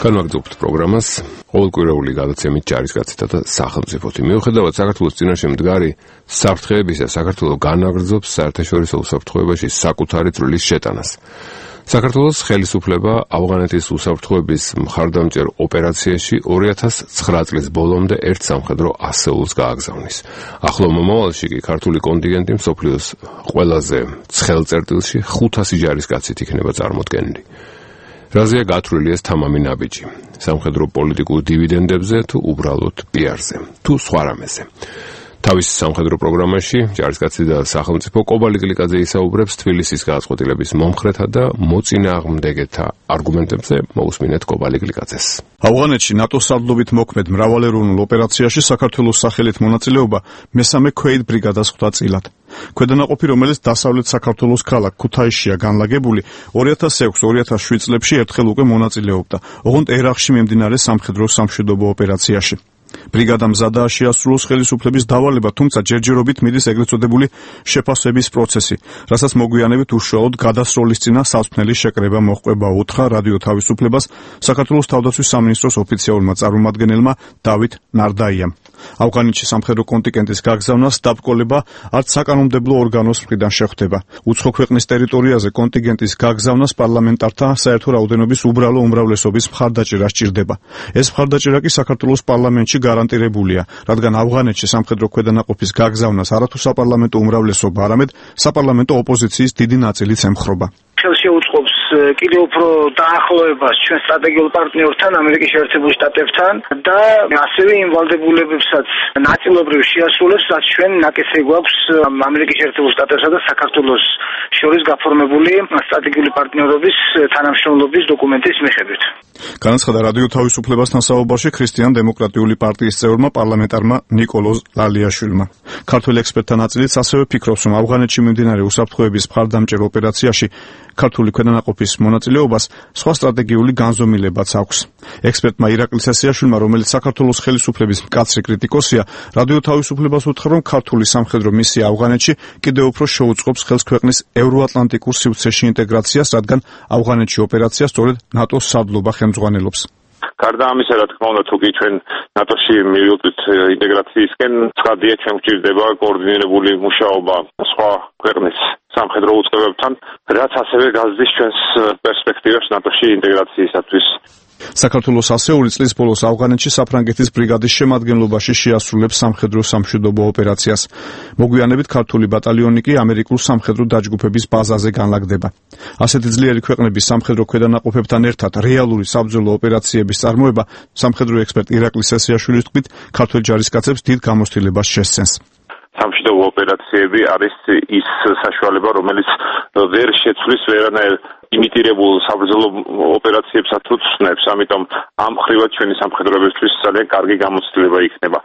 განვაგრძობთ პროგრამას ყოველკვირეული გადაცემით ჯარისკაცთა და სახელმწიფოთი. მიუხედავად საქართველოს წინაშე მდგარი საფრთხეებისა, საქართველო განაგრძობს საერთაშორისო უსაფრთხოებაში საკუთარი წვლილის შეტანას. საქართველოს ხელისუფლება ავღანეთის უსაფრთხოების მხარდამჭერ ოპერაციაში 2009 წლის ბოლომდე ერთ სამხედრო ასეულს გააგზავნის. ახლო მომავალში კი ქართული კონტინგენტი მსოფლიოს ყველაზე ცხელ წერტილში 500 ჯარისკაცით იქნება წარმოდგენილი. რაზეა გათვლილი ეს თამამი ნაბიჯი? სამხედრო პოლიტიკურ დივიდენდებზე თუ უბრალოდ პიარზე, თუ სხვა რამეზე? თავის სამხედრო პროგრამაში ჯარისკაცი და სახელმწიფო კობალი გლიკაძე ისაუბრებს თბილისის გადაწყვეტილების მომხრეთა და მოწინააღმდეგეთა არგუმენტებზე. მოусმინეთ კობალი გლიკაძეს. ავღანეთში ნატოს სარდლობით მოქმედ მრავალეროვნულ ოპერაციაში საქართველოს სახელით მონაწილეობა მესამე ქვეით ბრიგადას ხვდა წილად. ქვედანაყოფი, რომელიც დასავლეთ საქართველოს ქალაქ ქუთაისშია განლაგებული, 2006-2007 წლებში ერთხელ უკვე მონაწილეობდა, ოღონდ ერახში მიმდინარე სამხედრო სამშვიდობო ოპერაციაში. ბრიგადა მზადაა შეასრულოს ხელისუფლების დავალება, თუმცა ჯერჯერობით მიდის ეგრეთ წოდებული შეფასების პროცესი, რასაც მოგვიანებით უშუალოდ გადასროლის წინა საცვლელი შეკრება მოჰყვება, უთხრა რადიო თავისუფლებას საქართველოს თავდაცვის სამინისტროს ოფიციალურმა წარმომადგენელმა დავით ნარდაიამ. ავღანეთში სამხედრო კონტინგენტის გაგზავნას დაბრკოლება არც საკანონმდებლო ორგანოს მხრიდან შეხვდება. უცხო ქვეყნის ტერიტორიაზე კონტინგენტის გაგზავნას პარლამენტართა საერთო რაოდენობის უბრალო უმრავლესობის მხარდაჭერა სჭირდება. ეს მხარდაჭერა კი საქართველოს პარლამენტში გარანტირებულია, რადგან ავღანეთში სამხედრო ქვედანაყოფის გაგზავნას არათუ საპარლამენტო უმრავლესობა, არამედ საპარლამენტო ოპოზიციის დიდი ნაწილიც ემხრობა. შეუწყობს კიდევ უფრო დაახლოებას ჩვენ სტრატეგიულ პარტნიორთან, ამერიკის შეერთებულ შტატებთან და ასევე იმ ვალდებულებებსაც ნაწილობრივ შეასრულებს, რაც ჩვენ ნაკეთე გვაქვს ამერიკის შეერთებულ შტატებსა და საქართველოს შორის გაფორმებული სტრატეგიული პარტნიორობის თანამშრომლობის დოკუმენტის მიხედვით. განაცხადა რადიო თავისუფლებასთან საუბარში ქრისტიან-დემოკრატიული პარტიის წევრმა პარლამენტარმა ნიკოლოზ ლალიაშვილმა. ქართველ ექსპერტთა ნაწილიც ასევე ფიქრობს, რომ ავღანეთში მიმდინარე უსაფრთხოების მხარდამჭერ ოპერაციაში ქართული ქვედანაყოფის მონაწილეობას სხვა სტრატეგიული განზომილებაც აქვს. ექსპერტმა ირაკლი სესიაშვილმა, რომელიც საქართველოს ხელისუფლების მკაცრი კრიტიკოსია, რადიო თავისუფლებას უთხრა, რომ ქართული სამხედრო მისია ავღანეთში კიდევ უფრო შეუწყობს ხელს ქვეყნის ევროატლანტიკურ სივრცეში ინტეგრაციას, რადგან ავღანეთში ოპერაციას სწორედ ნატოს სარდლობა ხელმძღვანელობს. გარდა ამისა, რა თქმა უნდა, თუ კი ჩვენ ნატოში მივიდეთ ინტეგრაციისკენ, ცხადია, ჩვენ გვჭირდება კოორდინირებული მუშაობა სხვა ქვეყნის სამხედრო უწყებებთან, რაც ასევე გაზრდის ჩვენს პერსპექტივებს ნატოში ინტეგრაციისათვის. საქართველოს ასეული წლის ბოლოს ავღანეთში საფრანგეთის ბრიგადის შემადგენლობაში შეასრულებს სამხედრო სამშვიდობო ოპერაციას. მოგვიანებით ქართული ბატალიონი კი ამერიკულ სამხედრო დაჯგუფების ბაზაზე განლაგდება. ასეთი ძლიერი ქვეყნების სამხედრო ქვედანაყოფებთან ერთად რეალური საბრძოლო ოპერაციების წარმოება სამხედრო ექსპერტ ირაკლი სესიაშვილის თქმით ქართველ ჯარისკაცებს დიდ გამოცდილებას შესცენს. სამშვიდობო ოპერაციები არის ის საშუალება, რომელიც ვერ შეცვლის ვერანაირ იმიტირებულ საბრძოლო ოპერაციებსაც თუ ცნობს, ამიტომ ამ ხრივად ჩვენი სამხედროებისთვის ძალიან კარგი გამოცდილება იქნება.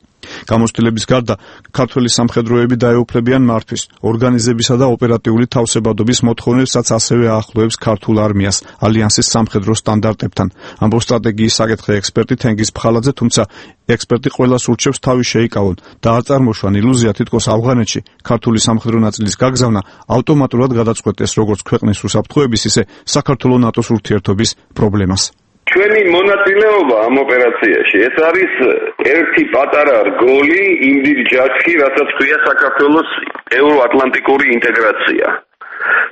გამოცდილების გარდა ქართველი სამხედროები დაეუფლებიან მართვის, ორგანიზებისა და ოპერატიული თავსებადობის მოთხოვნებსაც ასევე აახლოებს ქართულ არმიას ალიანსის სამხედრო სტანდარტებთან. ამბობს სტრატეგიის საკითხი ექსპერტი თენგიზ ფხალაძე, თუმცა ექსპერტი ყველას ურჩევს თავი შეიკავონ და არ წარმოშვან ილუზია, თითქოს ავღანეთში ქართული სამხედრო ნაწილის გაგზავნა ავტომატურად გადაწყვეტეს როგორც ქვეყნის უსაფრთხოების, ისე საქართველოს ნატოს ურთიერთობის პრობლემას. ჩვენი მონაწილეობა ამ ოპერაციაში ეს არის ერთი პატარა რგოლი იმ დიდ ჯაშში, რასაც ქვია საქართველოს ევროატლანტიკური ინტეგრაცია.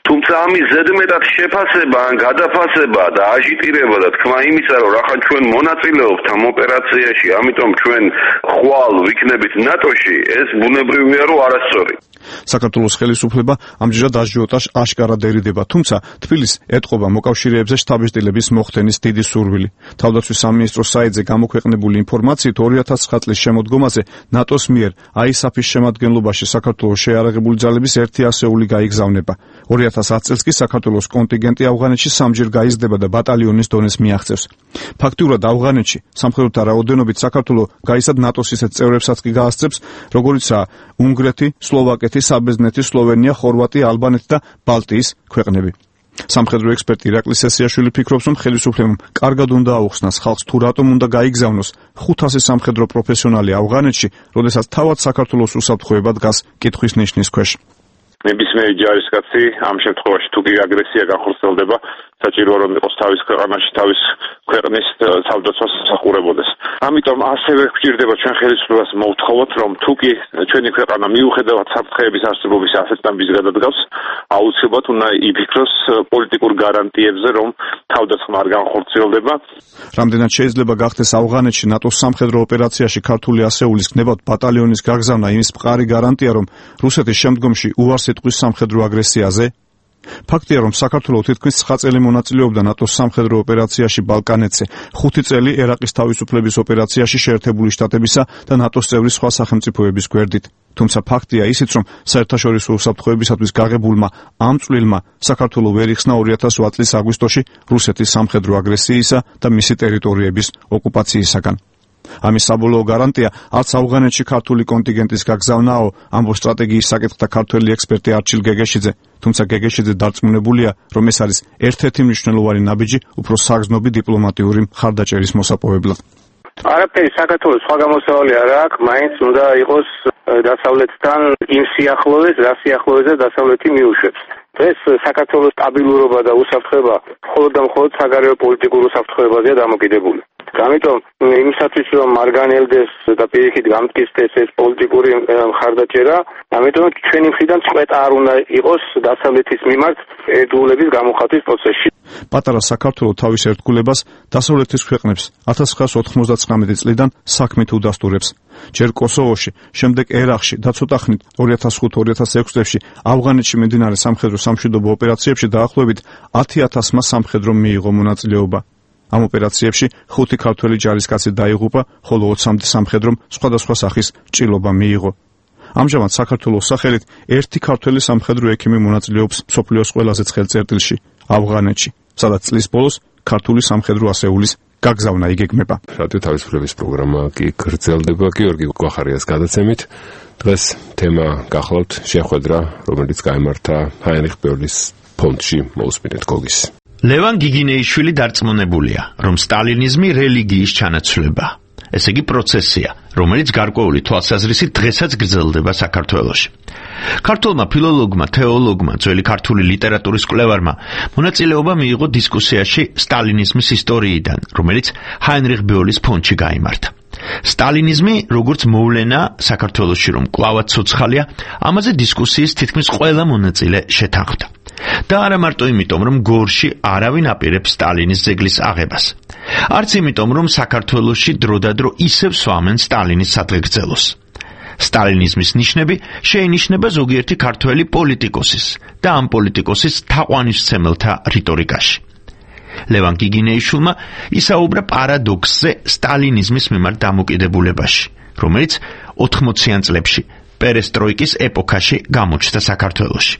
თუმცა ამის ზედმეტად შეფასება ან გადაფასება და აჟიტირება და თქმა იმისა, რომ რახან ჩვენ მონაწილეობთ ამ ოპერაციაში, ამიტომ ჩვენ ხვალ ვიქნებით ნატოში, ეს ბუნებრივია, რომ არასწორი. საქართველოს ხელისუფლება ამჯერად აჟიოტაჟს აშკარად ერიდება, თუმცა თბილისს ეტყობა მოკავშირეებზე შთაბეჭდილების მოხდენის დიდი სურვილი. თავდაცვის სამინისტროს საიტზე გამოქვეყნებული ინფორმაციით 2009 წლის შემოდგომაზე ნატოს მიერ ISAF-ის შემადგენლობაში საქართველოს შეიარაღებული ძალების 100 გაიგზავნება. 2010 წელს კი საქართველოს კონტინგენტი ავღანეთში სამჯერ გაიზრდება და ბატალიონის დონეს მიაღწევს. ფაქტიურად ავღანეთში სამხედროთა რაოდენობით საქართველო გაისად ნატოს ისეთ წევრებსაც კი გაასწრებს, როგორიცაა უნგრეთი, სლოვაკეთი, საბერძნეთი, სლოვენია, ხორვატია, ალბანეთი და ბალტიის ქვეყნები. სამხედრო ექსპერტი ირაკლი სესიაშვილი ფიქრობს, რომ ხელისუფლებამ კარგად უნდა აუხსნას ხალხს თუ რატომ უნდა გაიგზავნოს 500 სამხედრო პროფესიონალი ავღანეთში, როდესაც თავად საქართველოს უსაფრთხოება დგას კითხვის ნიშნის ქვეშ. ნებისმიერი ჯარისკაცი ამ შემთხვევაში თუ კი აგრესია განხორციელდება, საჭიროა რომ იყოს თავის ქვეყანაში, თავის ქვეყნის თავდაცვას უსახურებოდეს. ამიტომ ასევე გვჭირდება ჩვენ ხელისუფლებას მოვთხოვოთ, რომ თუ კი ჩვენი ქვეყანა მიუხედავად საფრთხეების არსებობის ასეთ ნაბიჯს გადადგავს, აუცილებლად უნდა იფიქროს პოლიტიკურ გარანტიებზე, რომ თავდაცვა არ განხორციელდება. რამდენად შეიძლება გახდეს ავღანეთში ნატოს სამხედრო ოპერაციაში ქართული ასეულის გნებავთ ბატალიონის გაგზავნა იმის მყარი გარანტია, რომ რუსეთის შემდგომში უარს იტყვის სამხედრო აგრესიაზე? ფაქტია, რომ საქართველოს თითქმის 9 წელი მონაწილეობდა ნატოს სამხედრო ოპერაციაში ბალკანეთზე, 5 წელი ერაყის თავისუფლების ოპერაციაში შეერთებული შტატებისა და ნატოს წევრი სხვა სახელმწიფოების გვერდით. თუმცა ფაქტია ისიც, რომ საერთაშორისო უსაფრთხოებისათვის გაღებულმა ამ წვლილმა საქართველოს ვერ იხსნა 2008 წლის აგვისტოში რუსეთის სამხედრო აგრესიისა და მისი ტერიტორიების ოკუპაციისაგან. ამის საბოლოო გარანტია არც ავღანეთში ქართული კონტინგენტის გაგზავნაო, ამბობს სტრატეგიის საკითხთა ქართველი ექსპერტი არჩილ გეგეშიძე, თუმცა გეგეშიძე დარწმუნებულია, რომ ეს არის ერთ-ერთი მნიშვნელოვანი ნაბიჯი უფრო საგრძნობი დიპლომატიური მხარდაჭერის მოსაპოვებლად. არაფერი საქართველოს სხვა გამოსავალი არ აქვს, მაინც უნდა იყოს დასავლეთთან იმ სიახლოვეს, რა სიახლოვეზე დასავლეთი მიუშვებს. დღეს საქართველოს სტაბილურობა და უსაფრთხოება მხოლოდ და მხოლოდ საგარეო პოლიტიკურ უსაფრთხოებაზეა დამოკიდებული. ამიტომ იმისათვის რომ მარგანელდეს და პირიქით გამტკიცდეს ეს პოლიტიკური მხარდაჭერა, ამიტომ ჩვენი მხრიდან წყვეტა არ უნდა იყოს დასავლეთის მიმართ ერთგულების გამოხატვის პროცესში. პატარა საქართველო თავის ერთგულებას დასავლეთის ქვეყნებს 1999 წლიდან საქმით უდასტურებს. ჯერ კოსოვოში, შემდეგ ერაყში და ცოტა ხნით 2005-2006 წლებში ავღანეთში მიმდინარე სამხედრო სამშვიდობო ოპერაციებში დაახლოებით 10,000-მა სამხედრომ მიიღო მონაწილეობა. ამ ოპერაციებში 5 ქართველი ჯარისკაცი დაიღუპა, ხოლო 20-მდე სამხედრომ სხვადასხვა სახის ჭრილობა მიიღო. ამჟამად საქართველოს სახელით ერთი ქართველი სამხედრო ექიმი მონაწილეობს მსოფლიოს ყველაზე ცხელ წერტილში, ავღანეთში, სადაც წლის ბოლოს ქართული სამხედრო ასეულის გაგზავნა იგეგმება. რადიო თავისუფლების პროგრამა კი გრძელდება გიორგი გვახარიას გადაცემით. დღეს თემა გახლავთ შეხვედრა, რომელიც გაიმართა ჰაინრიხ ბერლის ფონდში. მოусმინეთ გოგის. ლევან გიგინეიშვილი დარწმუნებულია, რომ სტალინიზმი რელიგიის ჩანაცვლება. ესე იგი პროცესია, რომელიც გარკვეული თვალსაზრისით დღესაც გრძელდება საქართველოში. ქართველმა ფილოლოგმა, თეოლოგმა, ძველი ქართული ლიტერატურის კვლევარმა მონაწილეობა მიიღო დისკუსიაში სტალინიზმის ისტორიიდან, რომელიც ჰაინრიხ ბერლის ფონდში გაიმართა. სტალინიზმი, როგორც მოვლენა საქართველოში რომ კვლავაც ცოცხალია, ამაზე დისკუსიის თითქმის ყველა მონაწილე შეთანხმდა. და არა მარტო იმიტომ, რომ გორში არავინ აპირებს სტალინის ძეგლის აღებას. არც იმიტომ, რომ საქართველოში დროდადრო ისევ სვამენ სტალინის სადღეგრძელოს. სტალინიზმის ნიშნები შეინიშნება ზოგიერთი ქართველი პოლიტიკოსის და ამ პოლიტიკოსის თაყვანისმცემელთა რიტორიკაში. ლევან გიგინეიშვილმა ისაუბრა პარადოქსზე სტალინიზმის მიმართ დამოკიდებულებაში, რომელიც 80-იან წლებში პერესტროიკის ეპოქაში გამოჩნდა საქართველოში.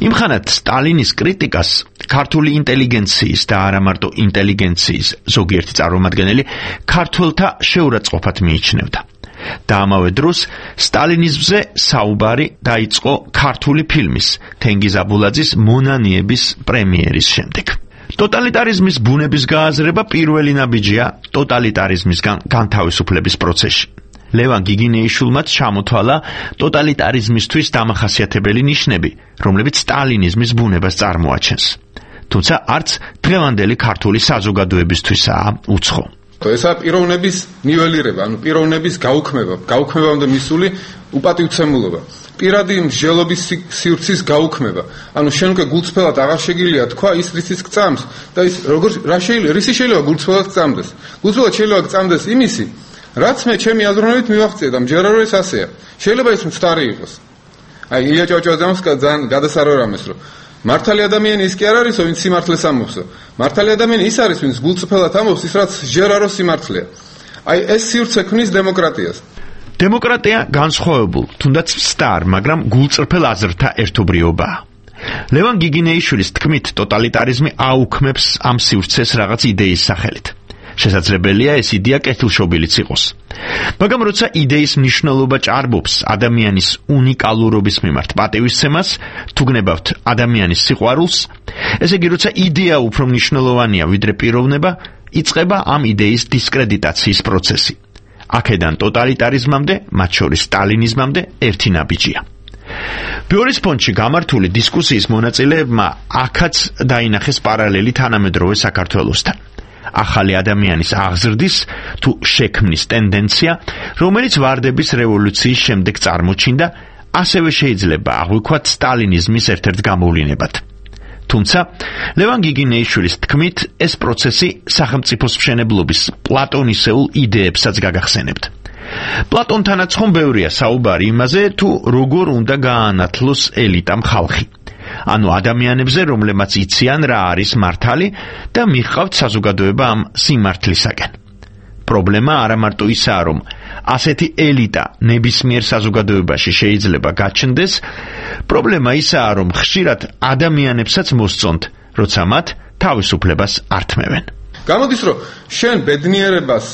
იმხანად სტალინის კრიტიკას ქართული ინტელიგენციის და არა მარტო ინტელიგენციის ზოგიერთი წარმომადგენელი ქართველთა შეურაცხყოფად მიიჩნევდა. და ამავე დროს სტალინიზმზე საუბარი დაიწყო ქართული ფილმის თენგიზ აბულაძის მონანიების პრემიერის შემდეგ. ტოტალიტარიზმის ბუნების გააზრება პირველი ნაბიჯია ტოტალიტარიზმისგან განთავისუფლების პროცესში. ლევან გიგინეიშვილმაც ჩამოთვალა ტოტალიტარიზმისთვის დამახასიათებელი ნიშნები, რომლებიც სტალინიზმის ბუნებას წარმოაჩენს. თუმცა არც დღევანდელი ქართული საზოგადოებისთვისაა უცხო. ესაა პიროვნების ნიველირება, ანუ პიროვნების გაუქმებამდე მისული უპატივცემულობა. პირადი მსჯელობის სივრცის გაუქმება. ანუ შენ უკვე გულწრფელად აღარ შეგიძლია თქვა ის რისიც გწამს და ის რისი შეიძლება გულწრფელად გწამდეს. გულწრფელად შეიძლება გწამდეს იმისი, რაც მე ჩემი აზროვნებით მივახციე და მჯერა რომ ეს ასეა. შეიძლება ის მცდარი იყოს. აი ილია ჭავჭავაძემს ძალიან გადასარევამეს რომ მართალი ადამიანი ის კი არ არის, ვინც სიმართლეს ამბობს. მართალი ადამიანი ის არის, ვინც გულწრფელად ამბობს ის, რაც ჯერა რომ სიმართლეა. აი ეს სივრცე ქმნის დემოკრატიას. დემოკრატია განსხვავებულ, თუნდაც მცდარ, მაგრამ გულწრფელ აზრთა ერთობლიობაა. ლევან გიგინეიშვილის თქმით, ტოტალიტარიზმი აუქმებს ამ სივრცეს რაღაც იდეის სახელით. შესაძლებელია ეს იდეა კეთილშობილიც იყოს. მაგრამ როცა იდეის მნიშვნელობა ჭარბობს ადამიანის უნიკალურობის მიმართ პატივისცემას, თუ გნებავთ ადამიანის სიყვარულს, ესე იგი როცა იდეა უფრო მნიშვნელოვანია ვიდრე პიროვნება, იწყება ამ იდეის დისკრედიტაციის პროცესი. აქედან ტოტალიტარიზმამდე, მათ შორის სტალინიზმამდე ერთი ნაბიჯია. ბერლის ფონდში გამართული დისკუსიის მონაწილეებმა აქაც დაინახეს პარალელი თანამედროვე საქართველოსთან. ახალი ადამიანის აღზრდის თუ შექმნის ტენდენცია, რომელიც ვარდების რევოლუციის შემდეგ წარმოჩინდა, ასევე შეიძლება აღვიქვათ სტალინიზმის ერთ-ერთ გამოვლინებად. თუმცა, ლევან გიგინეიშვილის თქმით, ეს პროცესი სახელმწიფოს მშენებლობის პლატონისეულ იდეებსაც გაგახსენებთ. პლატონთანაც ხომ ბევრია საუბარი იმაზე, თუ როგორ უნდა გაანათლოს ელიტამ ხალხი. ანუ ადამიანებზე, რომლებმაც იციან რა არის მართალი და მიჰყავთ საზოგადოება ამ სიმართლისაკენ. პრობლემა არა მარტო ისაა, რომ ასეთი ელიტა ნებისმიერ საზოგადოებაში შეიძლება გაჩნდეს, პრობლემა ისაა, რომ ხშირად ადამიანებსაც მოსწონთ, როცა მათ თავისუფლებას ართმევენ. გამოდის, რომ შენ ბედნიერებას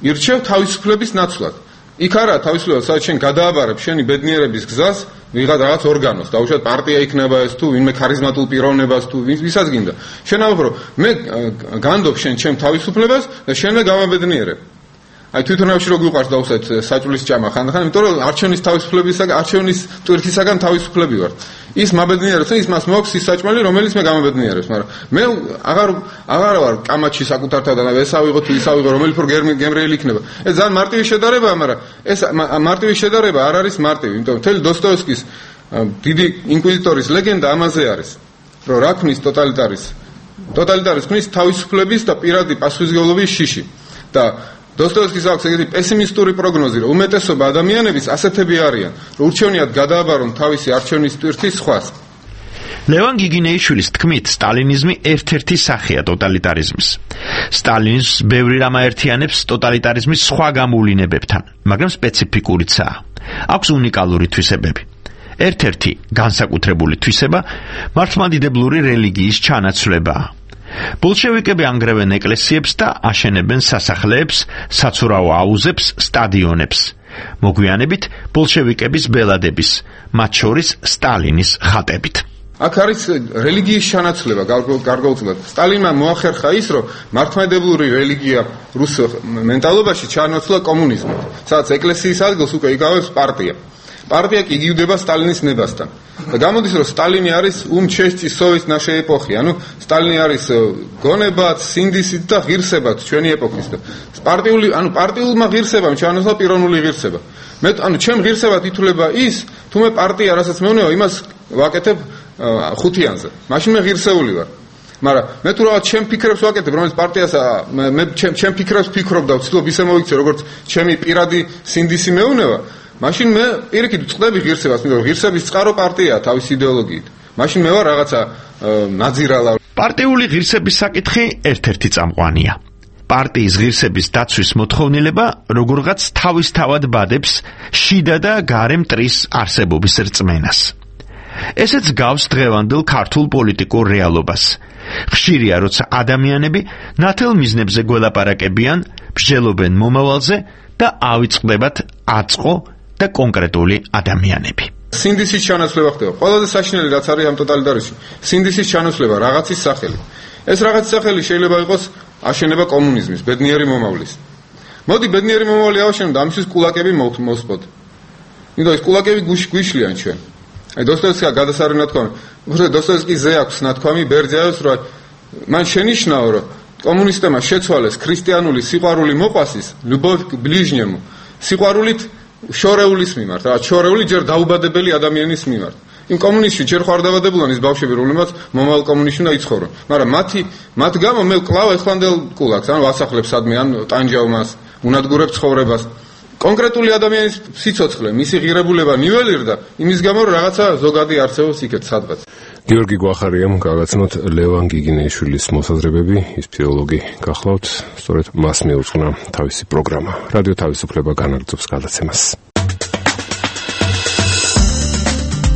ირჩევ თავისუფლების ნაცვლად. იქ არა თავისუფლება, სადაც შენ გადააბარებ შენი ბედნიერების გზას ვიღაც რაღაც ორგანოს, დაუშვათ პარტია იქნება ეს თუ ვინმე ქარიზმატულ პიროვნებას თუ ვისაც გინდა. შენ ამბობ, რომ მე განდობ შენ ჩემ თავისუფლებას და შენ მე გამაბედნიერებ. აი თვითონავში რო გიყვარს დავუსვათ საჭულის ჭამა ხანდახან, იმიტომ რომ არჩევნის თავისუფლებისაგან, არჩევნის ტვირთისაგან თავისუფლები ვარ. ის მაბედნიერებს, ის მას მოაქვს ის საჭმელი, რომელიც მე გამაბედნიერებს, მაგრამ მე აღარ ვარ კამაჩი საკუთართად, ეს ავიღო თუ ის ავიღო, რომელი უფრო გემრიელი იქნება. ეს ძალიან მარტივი შედარებაა, მაგრამ ეს მარტივი შედარება არ არის მარტივი, იმიტომ მთელი დოსტოევსკის დიდი ინკვიზიტორის ლეგენდა ამაზე არის, რომ რა ქმნის ტოტალიტარიზმს ქმნის თავისუფლების და პირადი პასუხისმგებლობის შიში. და დოსტოევსკის აქვს ეგეთი პესიმისტური პროგნოზი, რომ უმეტესობა ადამიანების ასეთები არიან, რომ ურჩევნიათ გადააბარონ თავისი არჩევნის ტვირთი სხვას. ლევან გიგინეიშვილის თქმით, სტალინიზმი ერთ-ერთი სახეა ტოტალიტარიზმის. სტალინიზმს ბევრი რამ აერთიანებს ტოტალიტარიზმის სხვა გამოვლინებებთან, მაგრამ სპეციფიკურიცაა. აქვს უნიკალური თვისებები. ერთ-ერთი განსაკუთრებული თვისება მართლმადიდებლური რელიგიის ჩანაცვლებაა. ბოლშევიკები ანგრევენ ეკლესიებს და აშენებენ სასახლეებს, საცურაო აუზებს, სტადიონებს. მოგვიანებით ბოლშევიკების ბელადების, მათ შორის სტალინის ხატებით. აქ არის რელიგიის ჩანაცვლება გარკვეულწილად. სტალინმა მოახერხა ის, რომ მართლმადიდებლური რელიგია რუს მენტალობაში ჩაანაცვლა კომუნიზმით, სადაც ეკლესიის ადგილს უკვე იკავებს პარტია. პარტია კი იგივდება სტალინის ნებასთან. და გამოდის, რომ სტალინი არის უმჩესტი სოვის ნაშე ეპოხი, ანუ სტალინი არის გონებად, სინდისით და ღირსებად ჩვენი ეპოქის. პარტიულმა ღირსებამ ჩაანაცვლა პიროვნული ღირსება. ჩემ ღირსებად ითვლება ის, თუ მე პარტია, რასაც მეუნეო, იმას ვაკეთებ ხუთიანზე. მაშინ მე ღირსეული ვარ. მაგრამ მე თუ რაღაც ჩემ ფიქრებს ვაკეთებ, რომელიც პარტიას მე ჩემ ფიქრებს ვფიქრობ და ვცდილობ ისე მოვიქცე, როგორც ჩემი პირადი სინდისი მეუნევა. მაშინ მე პირიქით ვწყდები ღირსებას, იმიტომ რომ ღირსების წყარო პარტიაა თავის იდეოლოგიით. მაშინ მე ვარ რაღაცა ნაძირალა. პარტიული ღირსების საკითხი ერთ-ერთი წამყვანია. პარტიის ღირსების დაცვის მოთხოვნილება როგორღაც თავისთავად ბადებს შიდა და გარე მტრის არსებობის რწმენას. ესეც გავს დღევანდელ ქართულ პოლიტიკურ რეალობას. ხშირია, როცა ადამიანები ნათელ მიზნებზე გველაპარაკებიან, მსჯელობენ მომავალზე და ავიწყდებათ აწყო და კონკრეტული ადამიანები. სინდისის ჩანაცვლება ხდება. ყველაზე საშინელი რაც არის ამ ტოტალიტარიზმში, სინდისის ჩანაცვლება რაღაცის სახელი. ეს რაღაცის სახელი შეიძლება იყოს აშენება კომუნიზმის, ბედნიერი მომავლის. მოდი ბედნიერი მომავალი ავაშენოთ და ამისთვის კულაკები მოვსპოთ. იმიტომ ეს კულაკები გვიშლიან ჩვენ. აი დოსტოევსკის გადასარევი ნათქვამი. დოსტოევსკის ზე აქვს ნათქვამი ბერძეავს, რომ მან შენიშნაო, რომ კომუნისტებმა შეცვალეს ქრისტიანული სიყვარული მოყვასის, любовь к ближнему, სიყვარულით შორეულის მიმართ, რა შორეული ჯერ დაუბადებელი ადამიანის მიმართ. იმ კომუნისტში ჯერ ხარ დავადებულან ის ბავშვები, რომლებმაც მომავალ კომუნისტში უნდა იცხოვრონ. მაგრამ მათ გამო მე ვკლავ ეხლანდელ კულაკს, ან ვასახლებ სადმე, ან ტანჯავ მას, უნადგურებ ცხოვრებას. კონკრეტული ადამიანის სიცოცხლე, მისი ღირებულება ნიველირდა იმის გამო, რომ რაღაცა ზოგადი არსებობს იქეთ სადღაც. გიორგი გვახარიამ გაგაცნოთ ლევან გიგინეიშვილის მოსაზრებები, ის ფსიქოლოგი გახლავთ, სწორედ მას მიუძღვნა თავისი პროგრამა. რადიო თავისუფლება განაგრძობს გადაცემას.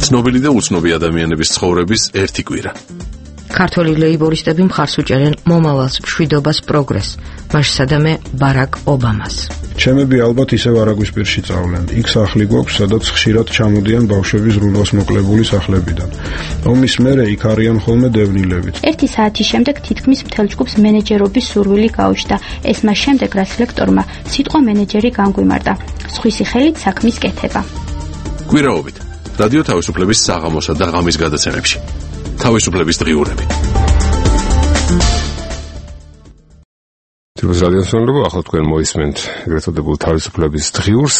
ცნობილი და უცნობი ადამიანების ცხოვრების ერთი კვირა. ქართველი ლეიბორისტები მხარს უჭერენ მომავალს, მშვიდობას, პროგრესს, მასშტაბე ბარაკ ობამას. ჩემები ალბათ ისევ არაგვისპირში წავლენ. იქ სახლი გვაქვს, სადაც ხშირად ჩამოდიან ბავშვები ზრუნვას მოკლებული სახლებიდან. ომის მერე იქ არიან ხოლმე დევნილებიც. ერთი საათის შემდეგ თითქმის მთელ ჯგუფს მენეჯერობის სურვილი გაუჩნდა. ეს მას შემდეგ, რაც ლექტორმა სიტყვა მენეჯერი განგვიმარტა. სხვისი ხელით საქმის კეთება. კვირაობით. რადიო თავისუფლების საღამოსა და ღამის გადაცემებში. თავისუფლების დღიურები. თვითონ რადიოსმენელო, ახლა თქვენ მოისმენთ ეგრეთ წოდებულ თავისუფლების დღიურს,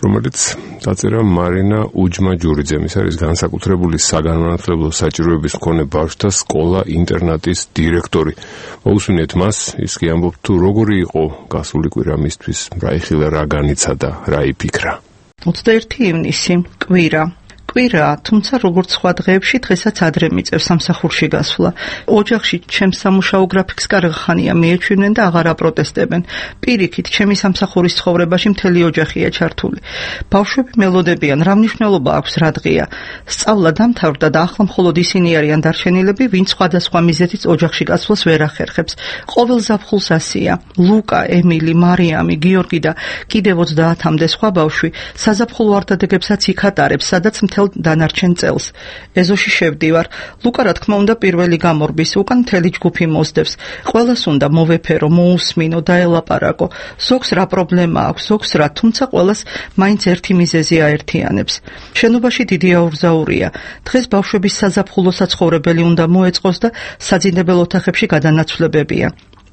რომელიც დაწერა მარინა უჯმა-ჯურიძემ. ის არის განსაკუთრებული საგანმანათლებლო საჭიროების მქონე ბავშვთა სკოლა-ინტერნატის დირექტორი. მოусმინეთ მას, ის კი ამბობს თუ როგორი იყო გასული კვირა მისთვის, რა იხილა, რა განიცადა, რა იფიქრა. 21 ივნისი, კვირა. თუმცა როგორც სხვა დღეებში დღესაც ადრე მიწევს სამსახურში გასვლა. ოჯახში ჩემს სამუშაო გრაფიკს კარგხანია მიეჩვენენ და აღარ აპროტესტებენ. პირიქით, ჩემი სამსახურის ცხოვრებაში მთელი ოჯახია ჩართული. ბავშვები მელოდებიან, რა მნიშვნელობა აქვს რა დღეა. სწავლა დამთავრდა და ახლა მხოლოდ ისინი არიან დარჩენილები, ვინც სხვადასხვა მიზეზით ოჯახში გასვლას ვერ ახერხებს. ყოველ ზაფხულს ასია. ლუკა, ემილი, მარიამი, გიორგი და კიდევ 30-მდე სხვა ბავშვი საზაფხულო არდადეგებსაც იქ ატარებს, სადაც მთელ დანარჩენ წელს. ეზოში შევდივარ. ლუკა რა თქმა უნდა პირველი გამორბის, უკან მთელი ჯგუფი მოსდევს. ყველას უნდა მოვეფერო, მოусმინო, დაელაპარაკო. ზოგს რა პრობლემა აქვს, ზოგს რა, თუმცა ყველას მაინც ერთი მიზეზი აერთიანებს. შენობაში დიდი აურზაურია. დღეს ბავშვების საზაფხულო საცხოვრებელი უნდა მოეწყოს და საძინებელ ოთახებში გადანაცვლებებია.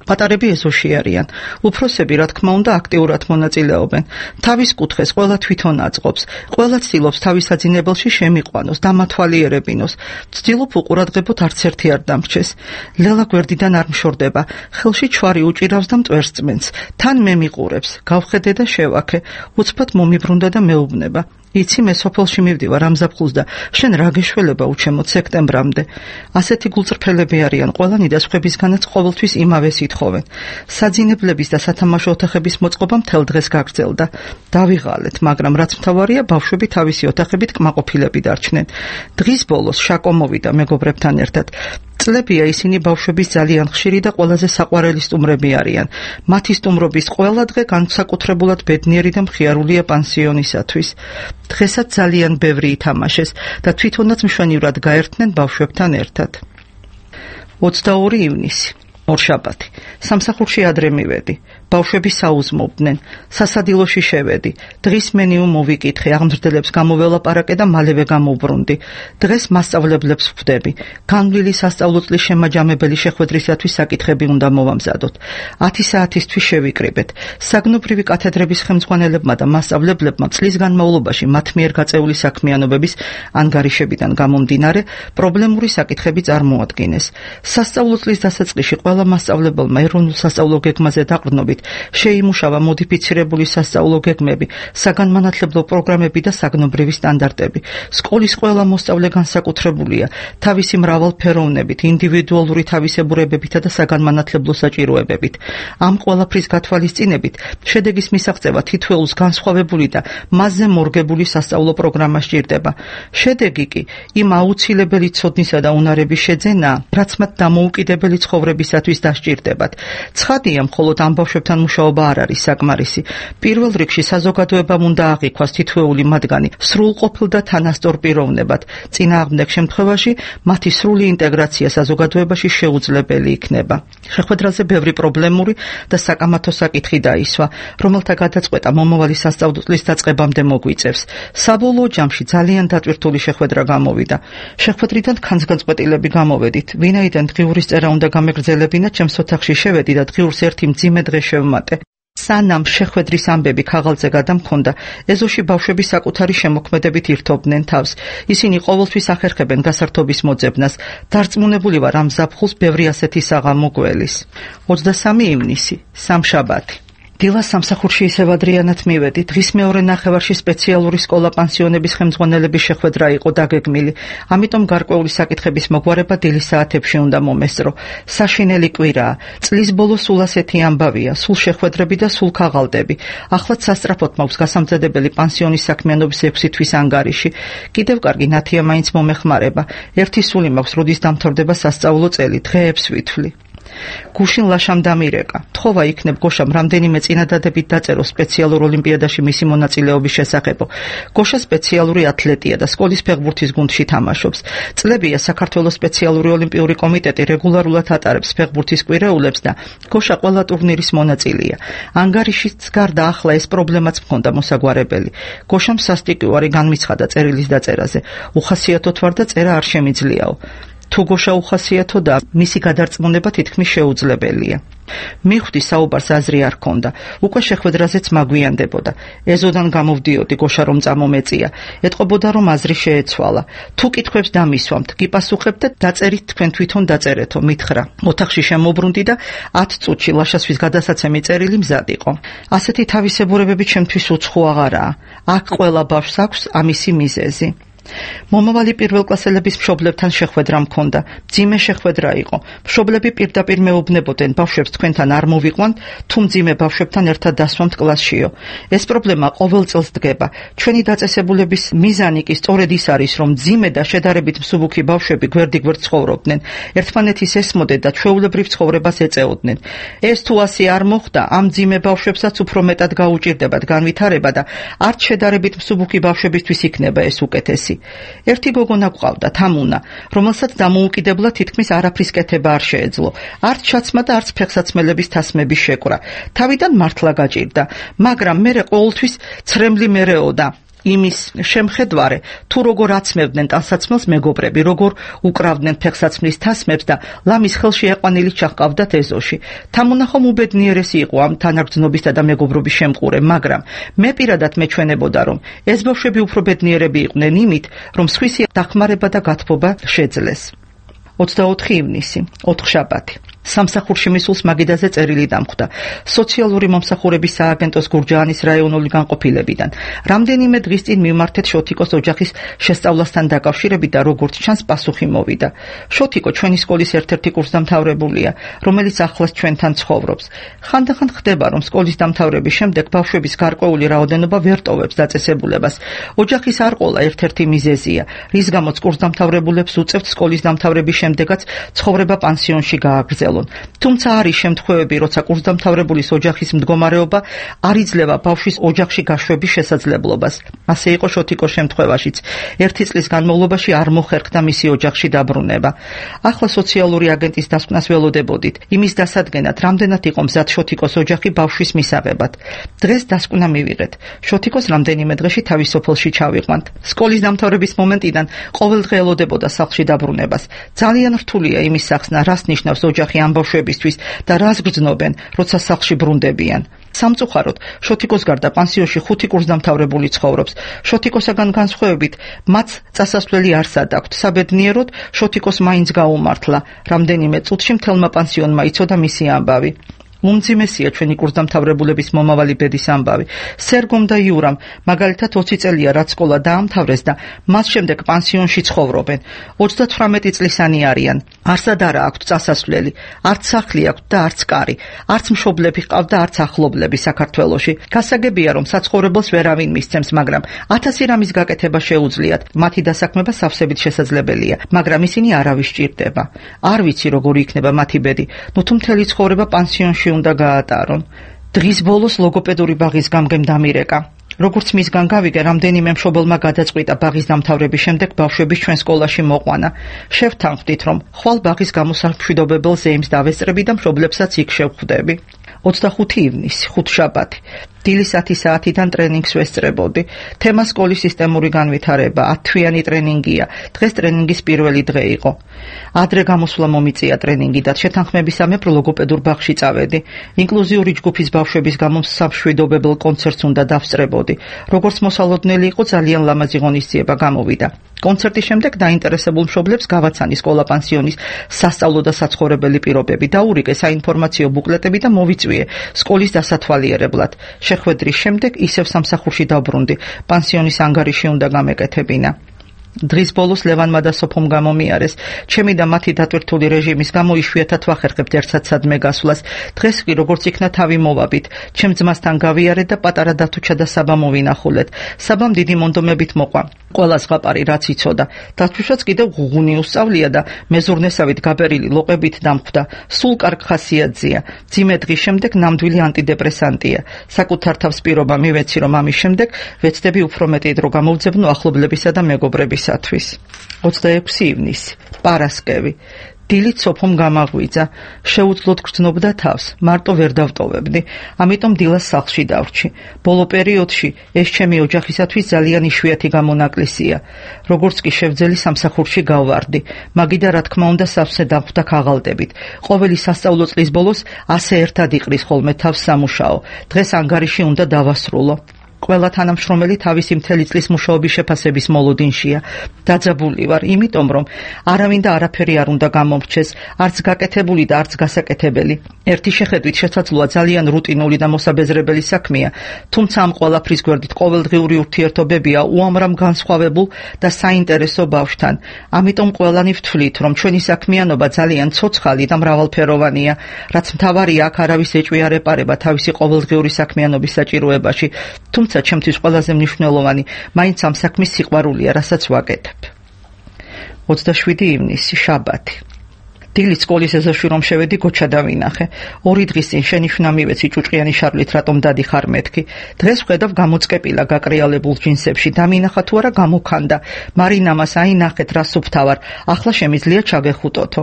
პატარები ეზოში არიან. უფროსები, რა თქმა უნდა, აქტიურად მონაწილეობენ. თავის კუთხეს ყველა თვითონ აწყობს. ყველა ცდილობს თავის საძინებელში შემიყვანოს, დამათვალიერებინოს. ცდილობ უყურადღებოთ არც ერთი არ დამრჩეს. ლელა გვერდიდან არ მშორდება. ხელში ჩვარი უჭირავს და მტვერს წმენს. თან მე მიყურებს. გავხედე და შევაქე. უცბად მომიბრუნდა და მეუბნება. იცი მე სოფელში მივდივარ ამ ზაფხულს და შენ რა გეშველება უჩემოთ სექტემბრამდე. ასეთი გულწრფელები არიან ყველანი და სხვებისგანაც ყოველთვის იმავეს ითხოვენ. საძინებლების და სათამაშო ოთახების მოწყობა მთელ დღეს გაგრძელდა. დავიღალეთ, მაგრამ რაც მთავარია, ბავშვები თავისი ოთახებით კმაყოფილები დარჩნენ. დღის ბოლოს შაკო მოვიდა მეგობრებთან ერთად. წლებია ისინი ბავშვების ძალიან ხშირი და ყველაზე საყვარელი სტუმრები არიან. მათი სტუმრობის ყველა დღე განსაკუთრებულად ბედნიერი და მხიარულია პანსიონისათვის. დღესაც ძალიან ბევრი ითამაშეს და თვითონაც მშვენივრად გაერთნენ ბავშვებთან ერთად. 22 ივნისი, ორშაბათი. სამსახურში ადრე მივედი. ბავშვები საუზმობდნენ. სასადილოში შევედი. დღის მენიუ მოვიკითხე, აღმზრდელებს გამოველაპარაკე და მალევე გამოვბრუნდი. დღეს მასწავლებლებს ვხვდები. განვლილი სასწავლო წლის შემაჯამებელი შეხვედრისათვის საკითხები უნდა მოვამზადოთ. 10 საათისთვის შევიკრიბეთ. საგნობრივი კათედრების ხელმძღვანელებმა და მასწავლებლებმა წლის განმავლობაში მათ მიერ გაწეული საქმიანობების ანგარიშებიდან გამომდინარე პრობლემური საკითხები წარმოადგინეს. სასწავლო წლის დასაწყისში ყველა მასწავლებელმა ეროვნულ სასწავლო გეგმაზე დაყრდნობით შეიმუშავა მოდიფიცირებული სასწავლო გეგმები, საგანმანათლებლო პროგრამები და საგნობრივი სტანდარტები. სკოლის ყველა მოსწავლე განსაკუთრებულია თავისი მრავალფეროვნებით, ინდივიდუალური თავისებურებებითა და საგანმანათლებლო საჭიროებებით. ამ ყველაფრის გათვალისწინებით შედეგის მისაღწევა თითოეულს განსხვავებული და მასზე მორგებული სასწავლო პროგრამა სჭირდება. შედეგი კი იმ აუცილებელი ცოდნისა და უნარების შეძენაა, რაც მათ დამოუკიდებელი ცხოვრებისათვის დასჭირდებათ. ცხადია, მხოლოდ ამ ბავშვებთან მუშაობა არ არის საკმარისი. პირველ რიგში საზოგადოებამ უნდა აღიქვას თითოეული მათგანი სრულყოფილ და თანასწორ პიროვნებად. წინააღმდეგ შემთხვევაში მათი სრული ინტეგრაცია საზოგადოებაში შეუძლებელი იქნება. შეხვედრაზე ბევრი პრობლემური და საკამათო საკითხი დაისვა, რომელთა გადაწყვეტა მომავალი სასწავლო წლის დაწყებამდე მოგვიწევს. საბოლოო ჯამში ძალიან დატვირთული შეხვედრა გამოვიდა. შეხვედრიდან ხანძგანწყვეტილები გამოვედით. ვინაიდან დღიურის წერა უნდა გამეგრძელებინა, ჩემს ოთახში შევედი და დღიურს ერთი მძიმე დღე შევმატე. სანამ შეხვედრის ამბები ქაღალდზე გადამქონდა, ეზოში ბავშვები საკუთარი შემოქმედებით ირთობდნენ თავს. ისინი ყოველთვის ახერხებენ გასართობის მოძებნას. დარწმუნებული ვარ, ამ ზაფხულს ბევრი ასეთი საღამო გველის. 23 ივნისი, სამშაბათი. დილას სამსახურში ისევ ადრიანად მივედი. დღის მეორე ნახევარში სპეციალური სკოლა-პანსიონების ხელმძღვანელების შეხვედრა იყო დაგეგმილი. ამიტომ გარკვეული საკითხების მოგვარება დილის საათებში უნდა მომესწრო. საშინელი კვირაა. წლის ბოლო სულ ასეთი ამბავია, სულ შეხვედრები და სულ ქაღალდები. ახლაც სასწრაფოდ მაქვს გასამზადებელი პანსიონის საქმიანობის 6 თვის ანგარიში. კიდევ კარგი ნათია მაინც მომეხმარება. ერთი სული მაქვს, როდის დამთავრდება სასწავლო წელი, დღეებს ვითვლი. გუშინ ლაშამ დამირეკა. თხოვა იქნებ გოშამ რამდენიმე წინადადებით დაწერო სპეციალურ ოლიმპიადაში მისი მონაწილეობის შესახებ. გოშა სპეციალური ათლეტია და სკოლის ფეხბურთის გუნდში თამაშობს. წლებია საქართველოს სპეციალური ოლიმპიური კომიტეტი რეგულარულად ატარებს ფეხბურთის კვირეულებს და გოშა ყველა ტურნირის მონაწილეა. ანგარიშიც გარდა ახლა ეს პრობლემაც მქონდა მოსაგვარებელი. გოშამ სასტიკივარი განმიცხადა წერილის დაწერაზე. უხასიათოდ ვარ და წერა არ შემიძლიაო. თუ გოშა უხასიათო და მისი გადარწმუნება თითქმის შეუძლებელია. მიხვდი საუბარს აზრი არ ქონდა. უკვე შეხვედრაზეც მაგვიანდებოდა. ეზოდან გამოვდიოდი გოშა რომ წამომეწია. ეტყობოდა რომ აზრი შეეცვალა. თუ კითხვებს დამისვამთ, გიპასუხებთ და დაწერით თქვენ თვითონ დაწერეთო, მითხრა. ოთახში შემოbrunდი და 10 წუთში ლაშასთვის გადასაცემი წერილი მზად იყო. ასეთი თავისებურებები ჩემთვის უცხო აღარაა. აქ ყველა ბავშვს აქვს ამისი მიზეზი. მომავალი პირველკლასელების მშობლებთან შეხვედრა მქონდა. მძიმე შეხვედრა იყო. მშობლები პირდაპირ მეუბნებოდნენ ბავშვებს თქვენთან არ მოვიყვანთ, თუ მძიმე ბავშვებთან ერთად დასვამთ კლასშიო. ეს პრობლემა ყოველ წელს დგება. ჩვენი დაწესებულების მიზანი კი სწორედ ის არის, რომ მძიმე და შედარებით მსუბუქი ბავშვები გვერდიგვერდ ცხოვრობდნენ, ერთმანეთის ესმოდნენ და ჩვეულებრივ ცხოვრებას ეწეოდნენ. ეს თუ ასე არ მოხდა, ამ მძიმე ბავშვებსაც უფრო მეტად გაუჭირდებათ განვითარება და არც შედარებით მსუბუქი ბავშვებისთვის იქნება ეს უკეთესი. ერთი გოგონა გვყავდა, თამუნა, რომელსაც დამოუკიდებლად თითქმის არაფრის კეთება არ შეეძლო. არც ჩაცმა და არც ფეხსაცმელების თასმების შეკვრა. თავიდან მართლა გაჭირდა, მაგრამ მერე ყოველთვის ცრემლი მერეოდა. იმის შემხედვარე, თუ როგორ აცმევდნენ ტანსაცმელს მეგობრები, როგორ უკრავდნენ ფეხსაცმლის თასმებს და ლამის ხელში ეყვანილი ჩაჰყავდათ ეზოში. თამუნა ხომ უბედნიერესი იყო ამ თანაგრძნობისა და მეგობრობის შემყურე, მაგრამ მე პირადად მეჩვენებოდა, რომ ეს ბავშვები უფრო ბედნიერები იყვნენ იმით, რომ სხვისი დახმარება და გათბობა შეძლეს. 24 ივნისი, ოთხშაბათი. სამსახურში მისულს მაგიდაზე წერილი დამხვდა. სოციალური მომსახურების სააგენტოს გურჯაანის რაიონული განყოფილებიდან. რამდენიმე დღის წინ მიმართეთ შოთიკოს ოჯახის შესწავლასთან დაკავშირებით და როგორც ჩანს პასუხი მოვიდა. შოთიკო ჩვენი სკოლის ერთ-ერთი კურსდამთავრებულია, რომელიც ახლაც ჩვენთან ცხოვრობს. ხანდახან ხდება, რომ სკოლის დამთავრების შემდეგ ბავშვების გარკვეული რაოდენობა ვერ ტოვებს დაწესებულებას. ოჯახის არ ყოლა ერთ-ერთი მიზეზია, რის გამოც კურსდამთავრებულებს უწევთ სკოლის დამთავრების შემდეგაც ცხოვრება პანსიონში გააგრძელონ. თუმცა არის შემთხვევები, როცა კურსდამთავრებულის ოჯახის მდგომარეობა არ იძლევა ბავშვის ოჯახში გაშვების შესაძლებლობას. ასე იყო შოთიკოს შემთხვევაშიც. 1 წლის განმავლობაში არ მოხერხდა მისი ოჯახში დაბრუნება. ახლა სოციალური აგენტის დასკვნას ველოდებოდით, იმის დასადგენად, რამდენად იყო მზად შოთიკოს ოჯახი ბავშვის მისაღებად. დღეს დასკვნა მივიღეთ. შოთიკოს რამდენიმე დღეში თავის სოფელში ჩავიყვანთ. სკოლის დამთავრების მომენტიდან ყოველდღე ელოდებოდა სახლში დაბრუნებას. ძალიან რთულია იმის სახსნა, რას ნიშნავს ოჯახი ამ ბავშვებისთვის და რას გრძნობენ, როცა სახლში ბრუნდებიან. სამწუხაროდ, შოთიკოს გარდა პანსიონში 5 კურსდამთავრებული ცხოვრობს. შოთიკოსაგან განსხვავებით, მათ წასასვლელი არსად აქვთ. საბედნიეროდ, შოთიკოს მაინც გაუმართლა. რამდენიმე წუთში მთელმა პანსიონმა იცოდა მისი ამბავი. უმძიმესია ჩვენი კურსდამთავრებულების მომავალი ბედის ამბავი. სერგომ და იურამ მაგალითად 20 წელია რაც სკოლა დაამთავრეს და მას შემდეგ პანსიონში ცხოვრობენ. 38 წლისანი არიან. არსად არა აქვთ წასასვლელი, არც სახლი აქვთ და არც კარი, არც მშობლები ჰყავთ და არც ახლობლები საქართველოში. გასაგებია, რომ საცხოვრებელს ვერავინ მისცემს, მაგრამ 1000 რამის გაკეთება შეუძლიათ. მათი დასაქმება სავსებით შესაძლებელია, მაგრამ ისინი არავის სჭირდება. არ ვიცი როგორი იქნება მათი ბედი, ნუ თუ მთელი ცხოვრება პანსიონში უნდა გაატარონ. დღის ბოლოს ლოგოპედური ბაღის გამგემ დამირეკა. როგორც მისგან გავიგე, რამდენიმე მშობელმა გადაწყვიტა ბაღის დამთავრების შემდეგ ბავშვების ჩვენ სკოლაში მოყვანა. შევთანხმდით, რომ ხვალ ბაღის გამოსამშვიდობებელ ზეიმს დავესწრები და მშობლებსაც იქ შევხვდები. 25 ივნისი, ხუთშაბათი. დილის 10 საათიდან ტრენინგს ვესწრებოდი. თემა სკოლის სისტემური განვითარება, 10 თვიანი ტრენინგია. დღეს ტრენინგის პირველი დღე იყო. ადრე გამოსვლა მომიწია ტრენინგიდან. შეთანხმებისამებრ ლოგოპედურ ბაღში წავედი. ინკლუზიური ჯგუფის ბავშვების გამოსამშვიდობებელ კონცერტს უნდა დავსწრებოდი. როგორც მოსალოდნელი იყო, ძალიან ლამაზი ღონისძიება გამოვიდა. კონცერტის შემდეგ დაინტერესებულ მშობლებს გავაცანი სკოლა პანსიონის სასწავლო და საცხოვრებელი პირობები, დაურიგე საინფორმაციო ბუკლეტები და მოვიწვიე სკოლის დასათვალიერებლად. შეხვედრის შემდეგ ისევ სამსახურში დავბრუნდი. პანსიონის ანგარიში უნდა გამეკეთებინა. დღის ბოლოს ლევანმა და სოფომ გამომიარეს. ჩემი და მათი დატვირთული რეჟიმის გამო იშვიათად ვახერხებთ ერთსაცადმე გასვლას. დღეს კი როგორც იქნა თავი მოვაბით. ჩემ ძმასთან გავიარეთ და პატარა დათუჩა და საბა მოვინახულეთ. საბამ დიდი მონდომებით მოყვა. ყველა ზღაპარი რაც იცოდა. დათუშაც კიდევ ღუღუნი უსწავლია და მეზურნესავით გაბერილი ლოყებით დამხვდა. სულ კარგ ხასიათზეა. ძიმე დღის შემდეგ ნამდვილი ანტიდეპრესანტია. საკუთარ თავს პირობა მივეცი, რომ ამის შემდეგ ვეცდები უფრო მეტი დრო გამოვძებნო ახლობლებისა და მეგობრებისათვის. 26 ივნისი, პარასკევი. დილით სოფომ გამაღვიძა. შეუძლოდ გრძნობდა თავს, მარტო ვერ დავტოვებდი. ამიტომ დილას სახლში დავრჩი. ბოლო პერიოდში ეს ჩემი ოჯახისათვის ძალიან იშვიათი გამონაკლისია. როგორც კი შევძელი სამსახურში გავვარდი. მაგიდა რა თქმა უნდა სავსე დავხვდა ქაღალდებით. ყოველი სასწავლო წლის ბოლოს ასე ერთად იყრის ხოლმე თავს სამუშაო. დღეს ანგარიში უნდა დავასრულო. ყველა თანამშრომელი თავისი მთელი წლის მუშაობის შეფასების მოლოდინშია. დაძაბული ვარ, იმიტომ რომ არავინ და არაფერი არ უნდა გამომრჩეს, არც გაკეთებული და არც გასაკეთებელი. ერთი შეხედვით შესაძლოა ძალიან რუტინული და მოსაბეზრებელი საქმეა, თუმცა ამ ყველაფრის გვერდით ყოველდღიური ურთიერთობებია უამრავ განსხვავებულ და საინტერესო ბავშვთან. ამიტომ ყველანი ვთვლით, რომ ჩვენი საქმიანობა ძალიან ცოცხალი და მრავალფეროვანია, რაც მთავარია აქ არავის ეჭვი არ ეპარება თავისი ყოველდღიური საქმიანობის საჭიროებაში. თუმცა ჩემთვის ყველაზე მნიშვნელოვანი მაინც ამ საქმის სიყვარულია, რასაც ვაკეთებ. 27 ივნისი, შაბათი. დილით სკოლის ეზოში რომ შევედი, გოჩა დავინახე. 2 დღის წინ შენი შნა მივეცი ჭუჭყიანი შარლით, რატომ დადიხარ მეთქი. დღეს ხედავ გამოწკეპილა გაკრიალებულ ჯინსებში, დამინახა თუ არა გამოქანდა. მარინამას აინახეთ რა სუფთავარ. ახლა შემიძლია ჩაგეხუტოთო.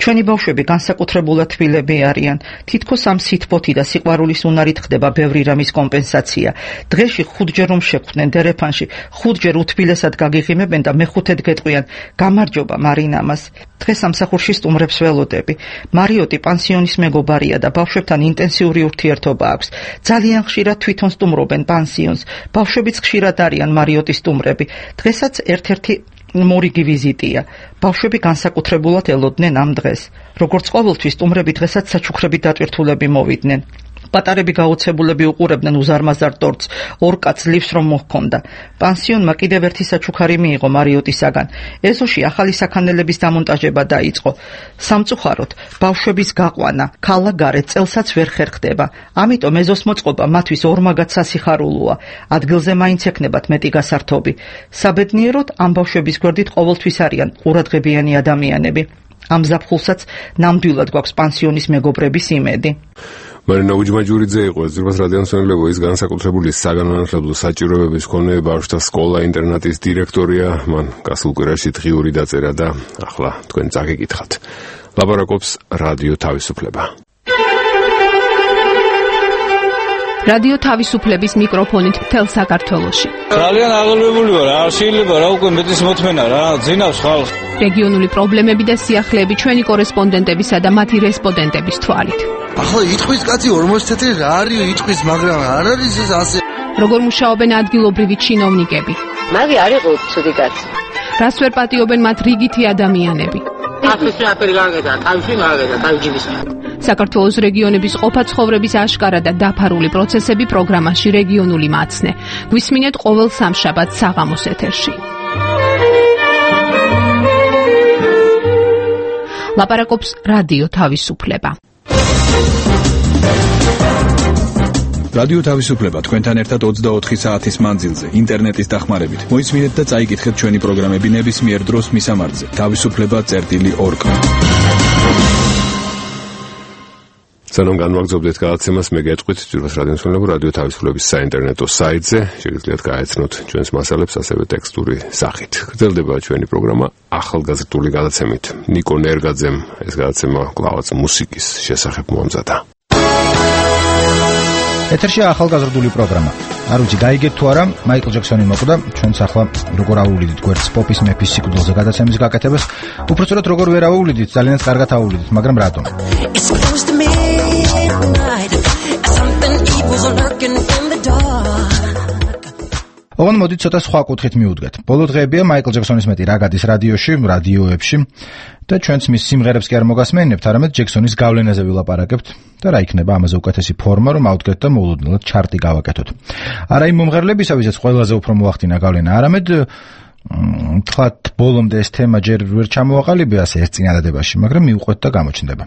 ჩვენი ბავშვები განსაკუთრებულად თბილები არიან. თითქოს ამ სითბოთი და სიყვარულის უნარით ხდება ბევრი რამის კომპენსაცია. დღეში 5ჯერ რომ შეხვდნენ დერეფანში, 5ჯერ უთბილესად გაგიღიმებენ და მეხუთედ გეტყვიან გამარჯობა მარინამას. დღეს სამსახურში სტუმრებს ველოდები. მარიოტი პანსიონის მეგობარია და ბავშვებთან ინტენსიური ურთიერთობა აქვს. ძალიან ხშირად თვითონ სტუმრობენ პანსიონს. ბავშვებიც ხშირად არიან მარიოტის სტუმრები. დღესაც ერთ-ერთი მორიგი ვიზიტია. ბავშვები განსაკუთრებულად ელოდნენ ამ დღეს. როგორც ყოველთვის სტუმრები დღესაც საჩუქრებით დატვირთულები მოვიდნენ. პატარები გაოცებულები უყურებდნენ უზარმაზარ ტორტს, 2 კაცს ლივს რომ მოჰქონდა. პანსიონმა კიდევ ერთი საჩუქარი მიიღო მარიოტისაგან. ეზოში ახალი საქანელების დამონტაჟება დაიწყო. სამწუხაროდ, ბავშვების გაყვანა ქალა-გარეთ წელსაც ვერ ხერხდება. ამიტომ ეზოს მოწყობა მათთვის ორმაგად სასიხარულოა. ადგილზე მაინც ექნებათ მეტი გასართობი. საბედნიეროდ, ამ ბავშვების გვერდით ყოველთვის არიან ყურადღებიანი ადამიანები. ამ ზაფხულსაც ნამდვილად გვაქვს პანსიონის მეგობრების იმედი. მარინა უჯმაჯურიძე იყო ზურბას რადიომსმენელო, ის განსაკუთრებული საგანმანათლებლო საჭიროებების მქონე ბავშვთა სკოლა-ინტერნატის დირექტორია. მან გასულ კვირაში დღიური დაწერა და ახლა თქვენ წაგიკითხათ. ლაპარაკობს რადიო თავისუფლება. რადიო თავისუფლების მიკროფონით მთელ საქართველოში. ძალიან აღელვებული ვარ, არ შეიძლება რა უკვე მეტის მოთმენა რა, ძინავს ხალხს. რეგიონული პრობლემები და სიახლეები ჩვენი კორესპონდენტებისა და მათი რესპონდენტების თვალით. ახლა იტყვის კაცი 40 წელი რა არის იტყვის, მაგრამ არ არის ეს ასე. როგორ მუშაობენ ადგილობრივი ჩინოვნიკები? მაგი არ იყო ცუდი კაცი. რას ვერ პატიობენ მათ რიგითი ადამიანები? ახლა აფერი გაგედა, თავში გაგედა, თავჯიბის. საქართველოს რეგიონების ყოფა-ცხოვრების აშკარა და დაფარული პროცესები პროგრამაში რეგიონული მაცნე. გვისმინეთ ყოველ სამშაბათს საღამოს ეთერში. ლაპარაკობს რადიო თავისუფლება. რადიო თავისუფლება თქვენთან ერთად 24 საათის მანძილზე ინტერნეტის დახმარებით. მოისმინეთ და წაიკითხეთ ჩვენი პროგრამები ნებისმიერ დროს მისამართზე. თავისუფლება.org. სანამ განვაგრძობდეთ გადაცემას, მე გეტყვით ძვირფას რადიომსმენელებო, რადიო თავისუფლების საინტერნეტო საიტზე შეგიძლიათ გაეცნოთ ჩვენს მასალებს ასევე ტექსტური სახით. გრძელდება ჩვენი პროგრამა ახალგაზრდული გადაცემით. ნიკო ნერგაძემ ეს გადაცემა კლავაც მუსიკის შესახებ მოამზადა. ეთერშია ახალგაზრდული პროგრამა. არ ვიცი გაიგეთ თუ არა, მაიკლ ჯექსონი მოკვდა, ჩვენც ახლა როგორ აუვლიდით გვერდს პოპის მეფის სიკვდილზე გადაცემის გაკეთებას. უпростоრად როგორ ვერ აუვლიდით, ძალიანაც კარგად აუვლიდით, მაგრამ რატომ? ოღონდ მოდით ცოტა სხვა კუთხით მივუდგეთ. ბოლო დღეებია მაიკლ ჯექსონის მეტი რა გადის რადიოში, რადიოებში და ჩვენც მის სიმღერებს კი არ მოგასმენებთ, არამედ ჯექსონის გავლენაზე ვილაპარაკებთ და რა იქნება ამაზე უკეთესი ფორმა, რომ ავდგეთ და მოულოდნელად ჩარტი გავაკეთოთ. არა იმ მომღერლებისა, ვისაც ყველაზე უფრო მოახდინა გავლენა, არამედ თქვათ ბოლომდე ეს თემა ჯერ ვერ ჩამოაყალიბა ასე ერთ წინადადებაში, მაგრამ მიუყვეთ და გამოჩნდება.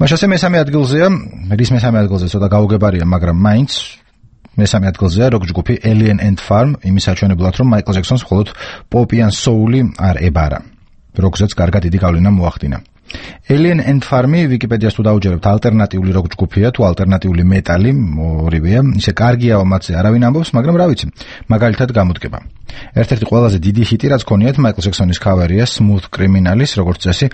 მაშასე მესამე ადგილზეა, რის მესამე ადგილზე ცოტა გაუგებარია, მაგრამ მაინც მესამე ადგილზეა როკ ჯგუფი Alien and Farm, იმის საჩვენებლად, რომ მაიკლ ჯექსონს მხოლოდ პოპი ან soul-ი არ ებარა. როკზეც კარგად დიდი გავლენა მოახდინა. Alien and Farm-ი ვიკიპედიას თუ დაუჯერებთ, ალტერნატიული როკ ჯგუფია თუ ალტერნატიული მეტალი, ორივეა. ისე კარგიაო მათზე არავინ ამბობს, მაგრამ რა ვიცი, მაგალითად გამოდგება. ერთ-ერთი ყველაზე დიდი ჰიტი, რაც ქონიათ მაიკლ ჯექსონის ქავერია Smooth Criminal-ის, როგორც წესი,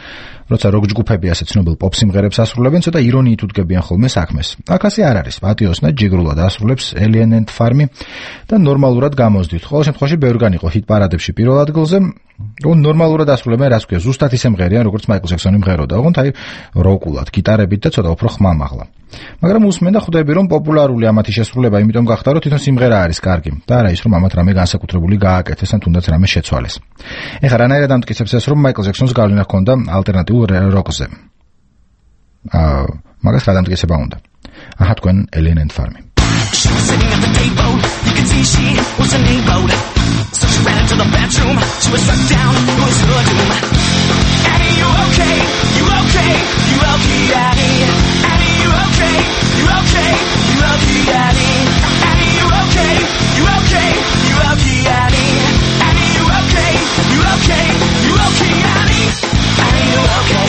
როცა როკ ჯგუფები ასე ცნობილ პოპ სიმღერებს ასრულებენ, ცოტა ირონიით უდგებიან ხოლმე საქმეს. აქ ასე არ არის. პატიოსნად ჯიგრულად ასრულებს Alien and Farm-ი და ნორმალურად გამოსდით. ყოველ შემთხვევაში ბევრგან იყო ჰიტ პარადებში პირველ ადგილზე. ნორმალურად ასრულებენ, რაც ქვია, ზუსტად ისე მღერიან, როგორც მაიკლ ჯექსონი მღეროდა. ოღონდ აი როკულად, გიტარებით და ცოტა უფრო ხმამაღლა. მაგრამ უსმენ და ხვდები, რომ პოპულარული ამათი შესრულება იმიტომ გახდა, რომ თვითონ სიმღერა არის კარგი და არა ის, რომ ამათ რამე განსაკუთრებული გააკეთეს ან თუნდაც რამე შეცვალეს. ეხლა რანაირად ამტკიცებს ეს, რომ მაიკლ ჯექსონს გავლენა ჰქონდა ალტერნატიულ როკზე? მაგას რა დამტკიცება უნდა? აჰა, თქვენ Alien and Farm. She was sitting at the table, you could see she was a neighbor. So she ran into the bedroom, she was struck down, it was her doom. Annie, you okay? You okay? You okay, Annie? Annie, you okay? You okay? You okay, Annie? Annie, you okay? You okay? You okay, Annie? Annie, you okay? You okay? You okay, Annie? Annie, you okay?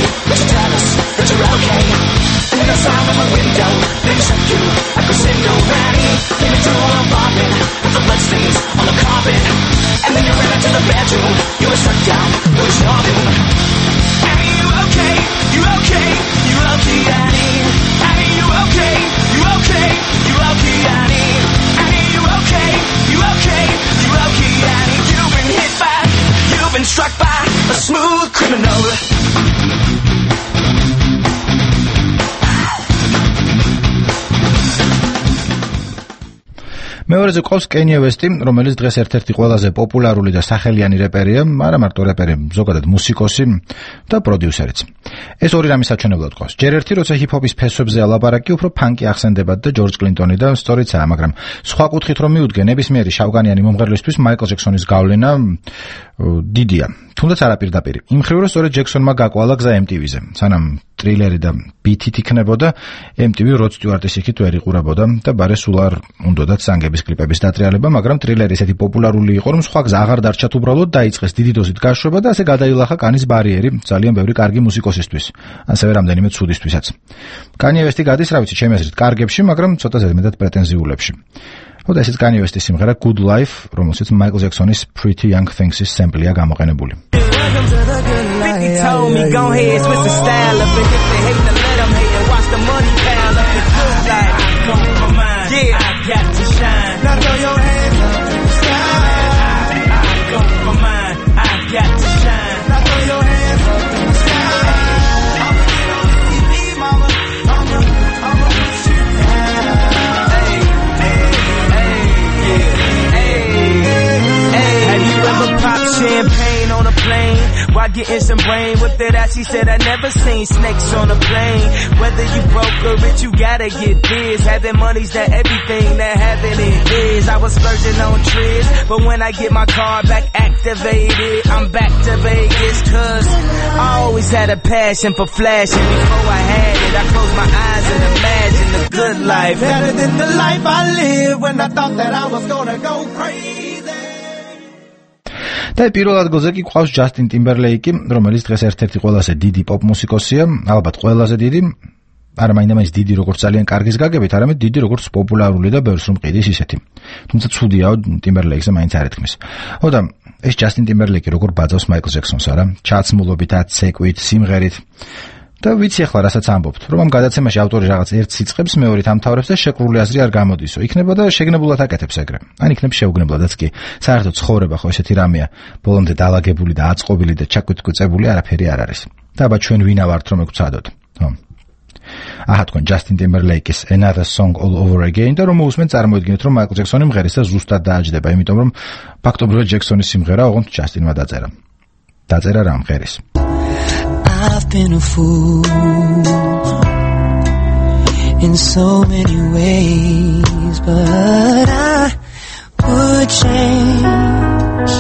tune. You were struck down, it was your doom. Annie, you okay? You okay? You okay, Annie? Annie, you okay? You okay? You okay, Annie? Annie, you okay? You okay? You okay, Annie? You've been hit by, you've been struck by a smooth criminal. მეორეზე ყავს კენია ვესტი, რომელიც დღეს ერთ-ერთი ყველაზე პოპულარული და სახელიანი რეპერია, არა მარტო რეპერი, ზოგადად მუსიკოსი და პროდიუსერიც. ეს ორი რამის საჩვენებლად ყავს. ჯერ ერთი, როცა ჰიპ-ჰოპის ფესვებზე ალაპარაკი, უფრო ფანკი ახსენდებათ და ჯორჯ კლინტონი და სწორიცაა, მაგრამ სხვა კუთხით რომ მივუდგე, ნებისმიერი შავკანიანი მომღერლისთვის მაიკლ ჯექსონის გავლენა დიდია. თუნდაც არა პირდაპირ. იმ მხრივ, რომ სწორედ ჯექსონმა გაკვალა გზა MTV-ზე. სანამ ტრილერი და ბითით იქნებოდა, MTV როდ სტიუარტის იქით ვერ იყურებოდა და ბარე სულ არ უნდათ სანგების კლიპების დატრიალება, მაგრამ ტრილერი ესეთი პოპულარული იყო, რომ სხვა გზა აღარ დარჩათ, უბრალოდ დაიწყეს დიდი დოზით გაშვება და ასე გადაილახა კანის ბარიერი ძალიან ბევრი კარგი მუსიკოსისთვის, ასევე რამდენიმე ცუდისთვისაც. კანიე ვესტი გადის, რა ვიცი, ჩემი აზრით, კარგებში, მაგრამ ცოტა ზედმეტად პრეტენზიულებში. ხოდა ესეც კანიე ვესტის სიმღერა Good Life, რომელსაც მაიკლ ჯექსონის Pretty Young Things-ის სემპლია გამოყენებული. Told me go ahead, switch the style up, and if they hate to let them hate and watch the money pile up. The good life, I go for mine. Yeah, I got to shine. Now throw your hands up to the sky. I go for mine. I got to shine. Now throw your hands up to the sky. I'ma get on the TV, mama. I'ma push you down. Hey, hey, hey, yeah, hey. Have you ever popped champagne on a plane? While getting some brain with that ass, she said I never seen snakes on a plane. Whether you broke or rich, you gotta get biz. Having money's not everything that having it is. I was splurging on trips, but when I get my car back activated, I'm back to Vegas. Cause I always had a passion for flashing. Before I had it, I closed my eyes and imagined the good life. Better than the life I lived when I thought that I was gonna go crazy. და პირველ ადგილზე კი ყავს ჯასტინ ტიმბერლეიკი, რომელიც დღეს ერთ-ერთი ყველაზე დიდი პოპ მუსიკოსია, ალბათ ყველაზე დიდი, არა მაინდა-მაინც დიდი როგორც ძალიან კარგის გაგებით, არამედ დიდი როგორც პოპულარული და ბევრს რომ ყიდის ისეთი. თუმცა ცუდიაო ტიმბერლეიკზე მაინც არ ეთქმის. ხოდა ეს ჯასტინ ტიმბერლეიკი როგორ ბაძავს მაიკლ ჯექსონს, არა? ჩაცმულობით, აცეკვით, სიმღერით. და ვიცი ახლა რასაც ამბობთ, რომ ამ გადაცემაში ავტორი რაღაც ერთს იწყებს, მეორით ამთავრებს და შეკრული აზრი არ გამოდისო. იქნება და შეგნებულად აკეთებს ეგრე. ან იქნება შეუგნებლადაც კი. საერთოდ ცხოვრება ხო ესეთი რამეა, ბოლომდე დაალაგებული და აწყობილი და ჩაკვიტკვიწებული არაფერი არ არის. და აბა ჩვენ ვინა ვართ რომ ეგცადოთ. ხო. აჰა თქვენ ჯასტინ ტიმბერლეიკის Another Song All Over Again და რომ მოусმენ წარმოიდგინეთ რომ მაიკლ ჯექსონი მღერის და ზუსტად დააჯდება, იმიტომ რომ ფაქტობრივად ჯექსონის სიმღერა ოღონდ ჯასტინმა დაწერა. დაწერა რა მღერის. I've been a fool in so many ways, but I would change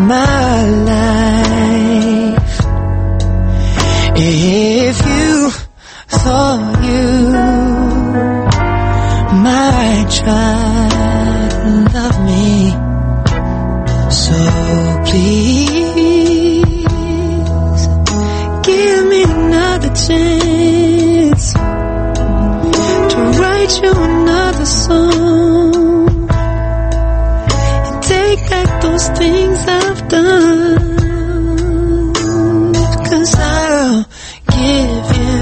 my life if you thought you might try to love me. So please give me another chance to write you another song and take back those things I've done, 'cause I'll give you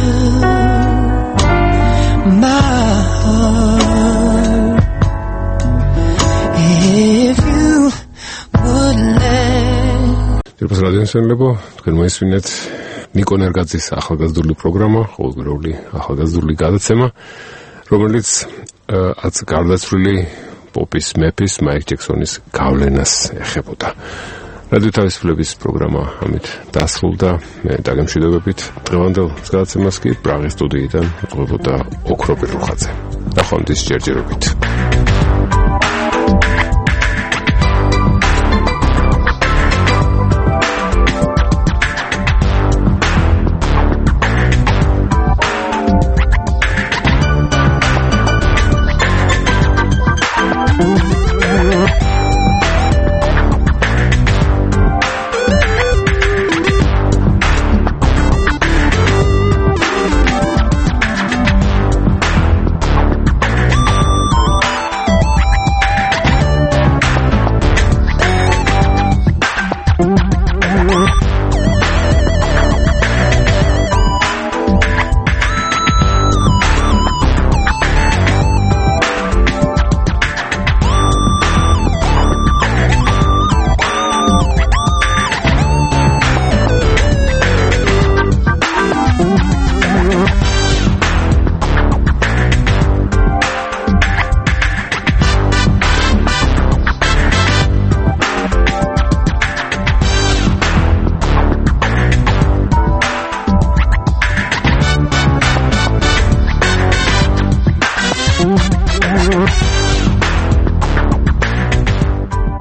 my heart if you would let. Თირფას რადიოსენლებო, თქვენ მოისმინეთ ნიკო ნერგაძის ახალგაზრდული პროგრამა, ყოველდღიური ახალგაზრდული გადაცემა, რომელიც გარდაცვლილი პოპის მეფის მაიკლ ჯექსონის გავლენას ეხებოდა. რადიო თავისუფლების პროგრამა ამით დასრულდა. მე დაგემშვიდობებით. დღევანდელ გადაცემას კი პრაღის სტუდიიდან უყვებოდა ოქროპირ რუხაძე. ნახვამდის ჯერჯერობით.